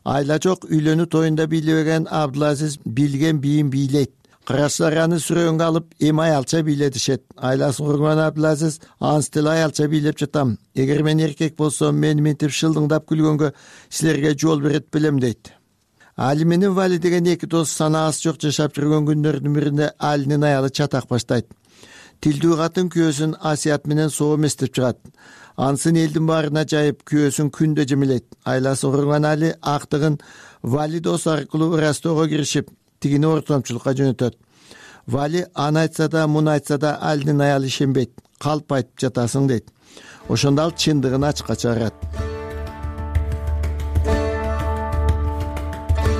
Айла жок үйлөнүү тоюнда бийлебеген Абдулазиз билген бийин бийлейт. Каракчылар аны сүрөөнгө алып, эми аялча бийле дешет. Айласын курган Абдулазиз анс деле аялча бийлеп жатам. Эгер мен эркек болсом, мени мынтип шылдыңдап күлгөнгө силерге жол берет белем дейт. Али менен Вали деген эки дос санаасы жок жашап жүргөн күндөрдүн биринде Алинин аялы чатак баштайт. Тилдүү катын күйөөсүн Асият менен соо эместеп чыгат. Ансын элдин баарына жайып, күйөөсүн күндө жемелейт. Айласы курган Али актыгын Вали дос аркылуу ырастоого киришип, тигини ортомчулукка жөнөтөт. Вали аны айтса да, муну айтса да Алинин аялы ишенбейт. Калп айтып жатасың дейт. Ошондо ал чындыгын ачыкка чыгарат.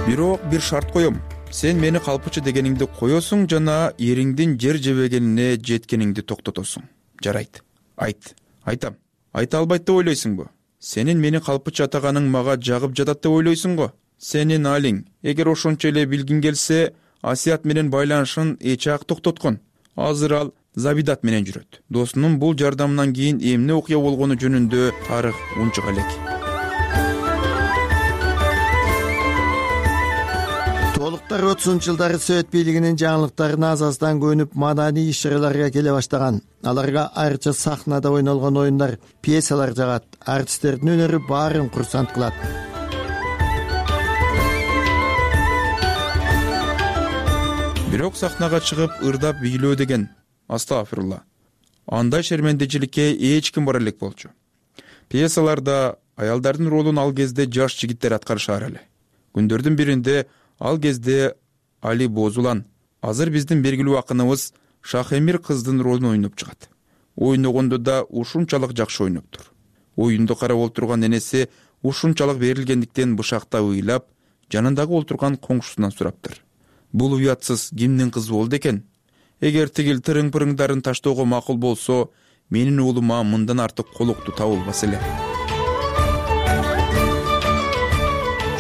Бирок бир шарт коем. Сен мени калпычы дегениңди коесуң жана эриңдин жер жебегенине жеткениңди токтотосуң. Жарайт. Айт. Айтам. Айта албайт деп ойлойсуңбу? Сенин мени калпычы атаганың мага жагып жатат деп ойлойсуңго? Сенин алиң, эгер ошончо эле билгиң келсе, Асият менен байланышын эчак токтоткон. Азыр ал Забидат менен жүрөт. Досунун бул жардамынан кийин эмне окуя болгону жөнүндө тарых унчук элек. Толуктар отузунчу жылдары Совет бийлигинин жаңылыктарына азаздан көнүп, маданий иш-чараларга келе баштаган. Аларга айрыча сахнада ойнолгон оюндар, пьесалар жагат. Артисттердин өнөрү баарын курсант кылат. Бирок сахнага чыгып ырдап бийлөө деген, астагфирулла, андай шермендечиликке эч ким бара элек болчу. Пьесаларда аялдардын ролун ал кезде жаш жигиттер аткарышар эле. Күндөрдүн биринде ал кезде Али Бозулан, азыр биздин белгилүү акыныбыз Шахемир кыздын ролун ойноп чыгат. Ойногондо да ушунчалык жакшы ойноптур. Оюнду карап олтурган энеси ушунчалык берилгендиктен бышакта ыйлап, жанындагы олтурган коңшусунан сураптыр. Бул уятсыз кимдин кызы болду экен? Эгер тигил тырың-пырыңдарын таштоого макул болсо, менин уулума мындан артык колукту табылбас эле.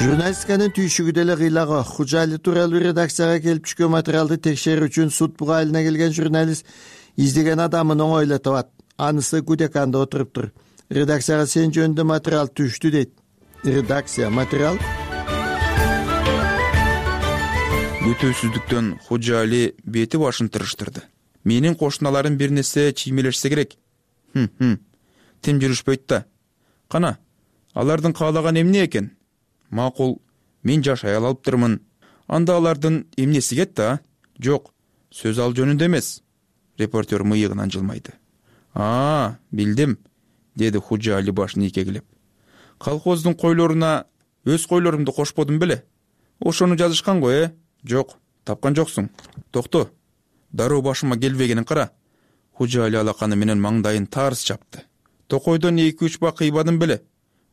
Журналистиканын түйшүгү деле кыйлагы. Хужали тууралуу редакцияга келип түшкөн материалды текшерүү үчүн суд буга айылына келген журналист издеген адамын оңойло табат. Анысы Гудеканда отуруптур. Редакцияга сен жөнүндө материал түштү дейт. Редакция материал Бүтөсүздүктөн Хужали бети башын тырыштырды. Менин кошуналарым бир нерсе чиймелешсе керек. Хм-хм. Тим жүрүшпөйт да. Кана, алардын каалаган эмне экен? Макул, мен жаш аял алыптырмын. Анда алардын эмнеси кетти, а? Жок, сөз ал жөнүндө эмес. Репортер мыйыгынан жылмайды. А, билдим, деди Хужали башын ийкегилеп. Колхоздун койлоруна өз койлорумду кошподум беле? Ошону жазышкан го, э? Жок, тапкан жоксуң. Токто, дароо башыма келбегенин кара. Хужали алаканы менен маңдайын тарс чапты. Токойдон эки үч бак кыйбадым беле?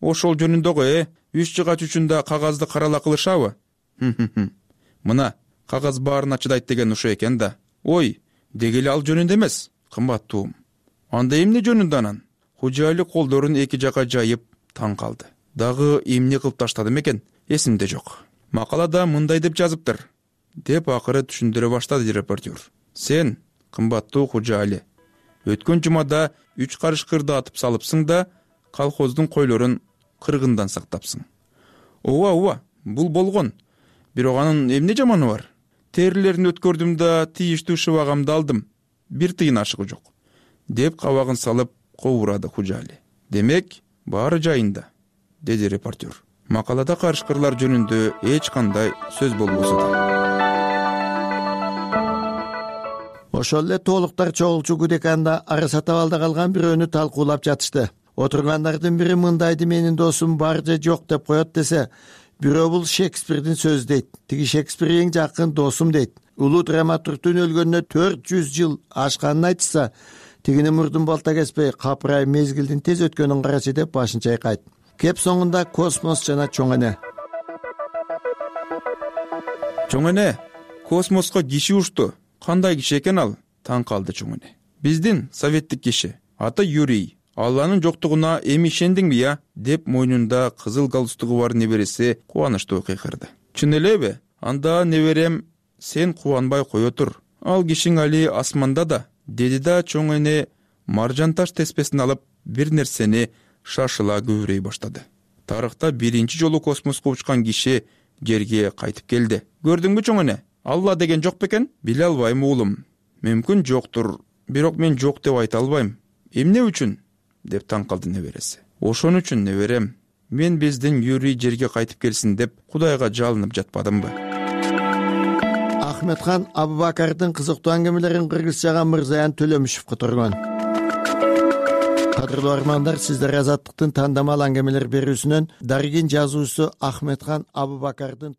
Ошол жөнүндө го, э? Үч жыгач үчүндө кагазды карала кылышабы? Мына, кагаз баарына чыдайт деген ушо экен да. Ой, дегеле ал жөнүндө эмес, кымбаттуум. Анда эмне жөнүндө анан? Хужали колдорун эки жака жайып таң калды. Дагы эмне кылып таштадым экен? Эсимде жок. Макалада мындай деп жазыптыр, деп акыры түшүндүрө баштады репортер. Сен, кымбаттуу Хужали, өткөн жумада үч карыш кырды атып салыпсың да, колхоздун койлорун кыргындан сактапсың. Ооба, ооба, бул болгон. Бирок анын эмне жаманы бар? Терилерин өткөрдүм да, тийиштүү шыбагамды алдым. Бир тыйын ашыгы жок, деп кабагын салып кобурады Хужали. Демек, баары жайында, деди репортер. Макалада карышкырлар жөнүндө эч кандай сөз болбосо да. Ошол эле толуктар чогулчу Гудеканда араса табалда калган бирөөнү талкуулап жатышты. Отургандардын бири мындайды менин досум бар же жок деп коет десе, бирөө бул Шекспирдин сөзү дейт. Тиги Шекспир эң жакын досум дейт. Улуу драматургтун өлгөнүнө төрт жүз жыл ашканын айтса, тигини мурдун балта кеспей, капырайып мезгилдин тез өткөнүн карачы деп башын чайкайт. Кеп соңунда космос жана чоң эне. Чоң эне, космоско киши ушту. Кандай киши экен ал? Таң калды чоң эне. Биздин советтик киши. Аты Юрий. алланын жоктугуна эми ишендиңби я деп мойнунда кызыл галстугу бар небереси кубанычтуу кыйкырды. Чын элеби? Анда неберем, сен кубанбай кое тур. Ал кишиң али асманда да, деди да чоң эне маржан таш теспесин алып бир нерсени шашыла көбүрөй баштады. Тарыхта биринчи жолу космоско учкан киши жерге кайтып келди. Көрдүңбү чоң эне? Алла деген жок бекен? Биле албайм уулум. Мүмкүн жоктур, бирок мен жок деп айта албайм. Эмне үчүн? Деп таң калды небереси. Ошон үчүн неберем, мен биздин Юрий жерге кайтып келсин деп Кудайга жалынып жатпадымбы? Ахметхан Абубакардын кызыктуу аңгемелерин кыргызчага Мырзаян Төлөмүшев которгон. Кадырлуу армандар, сиздер Азаттыктын тандамал аңгемелер берүүсүнөн Дарыгин жазуучусу Ахметхан Абубакардын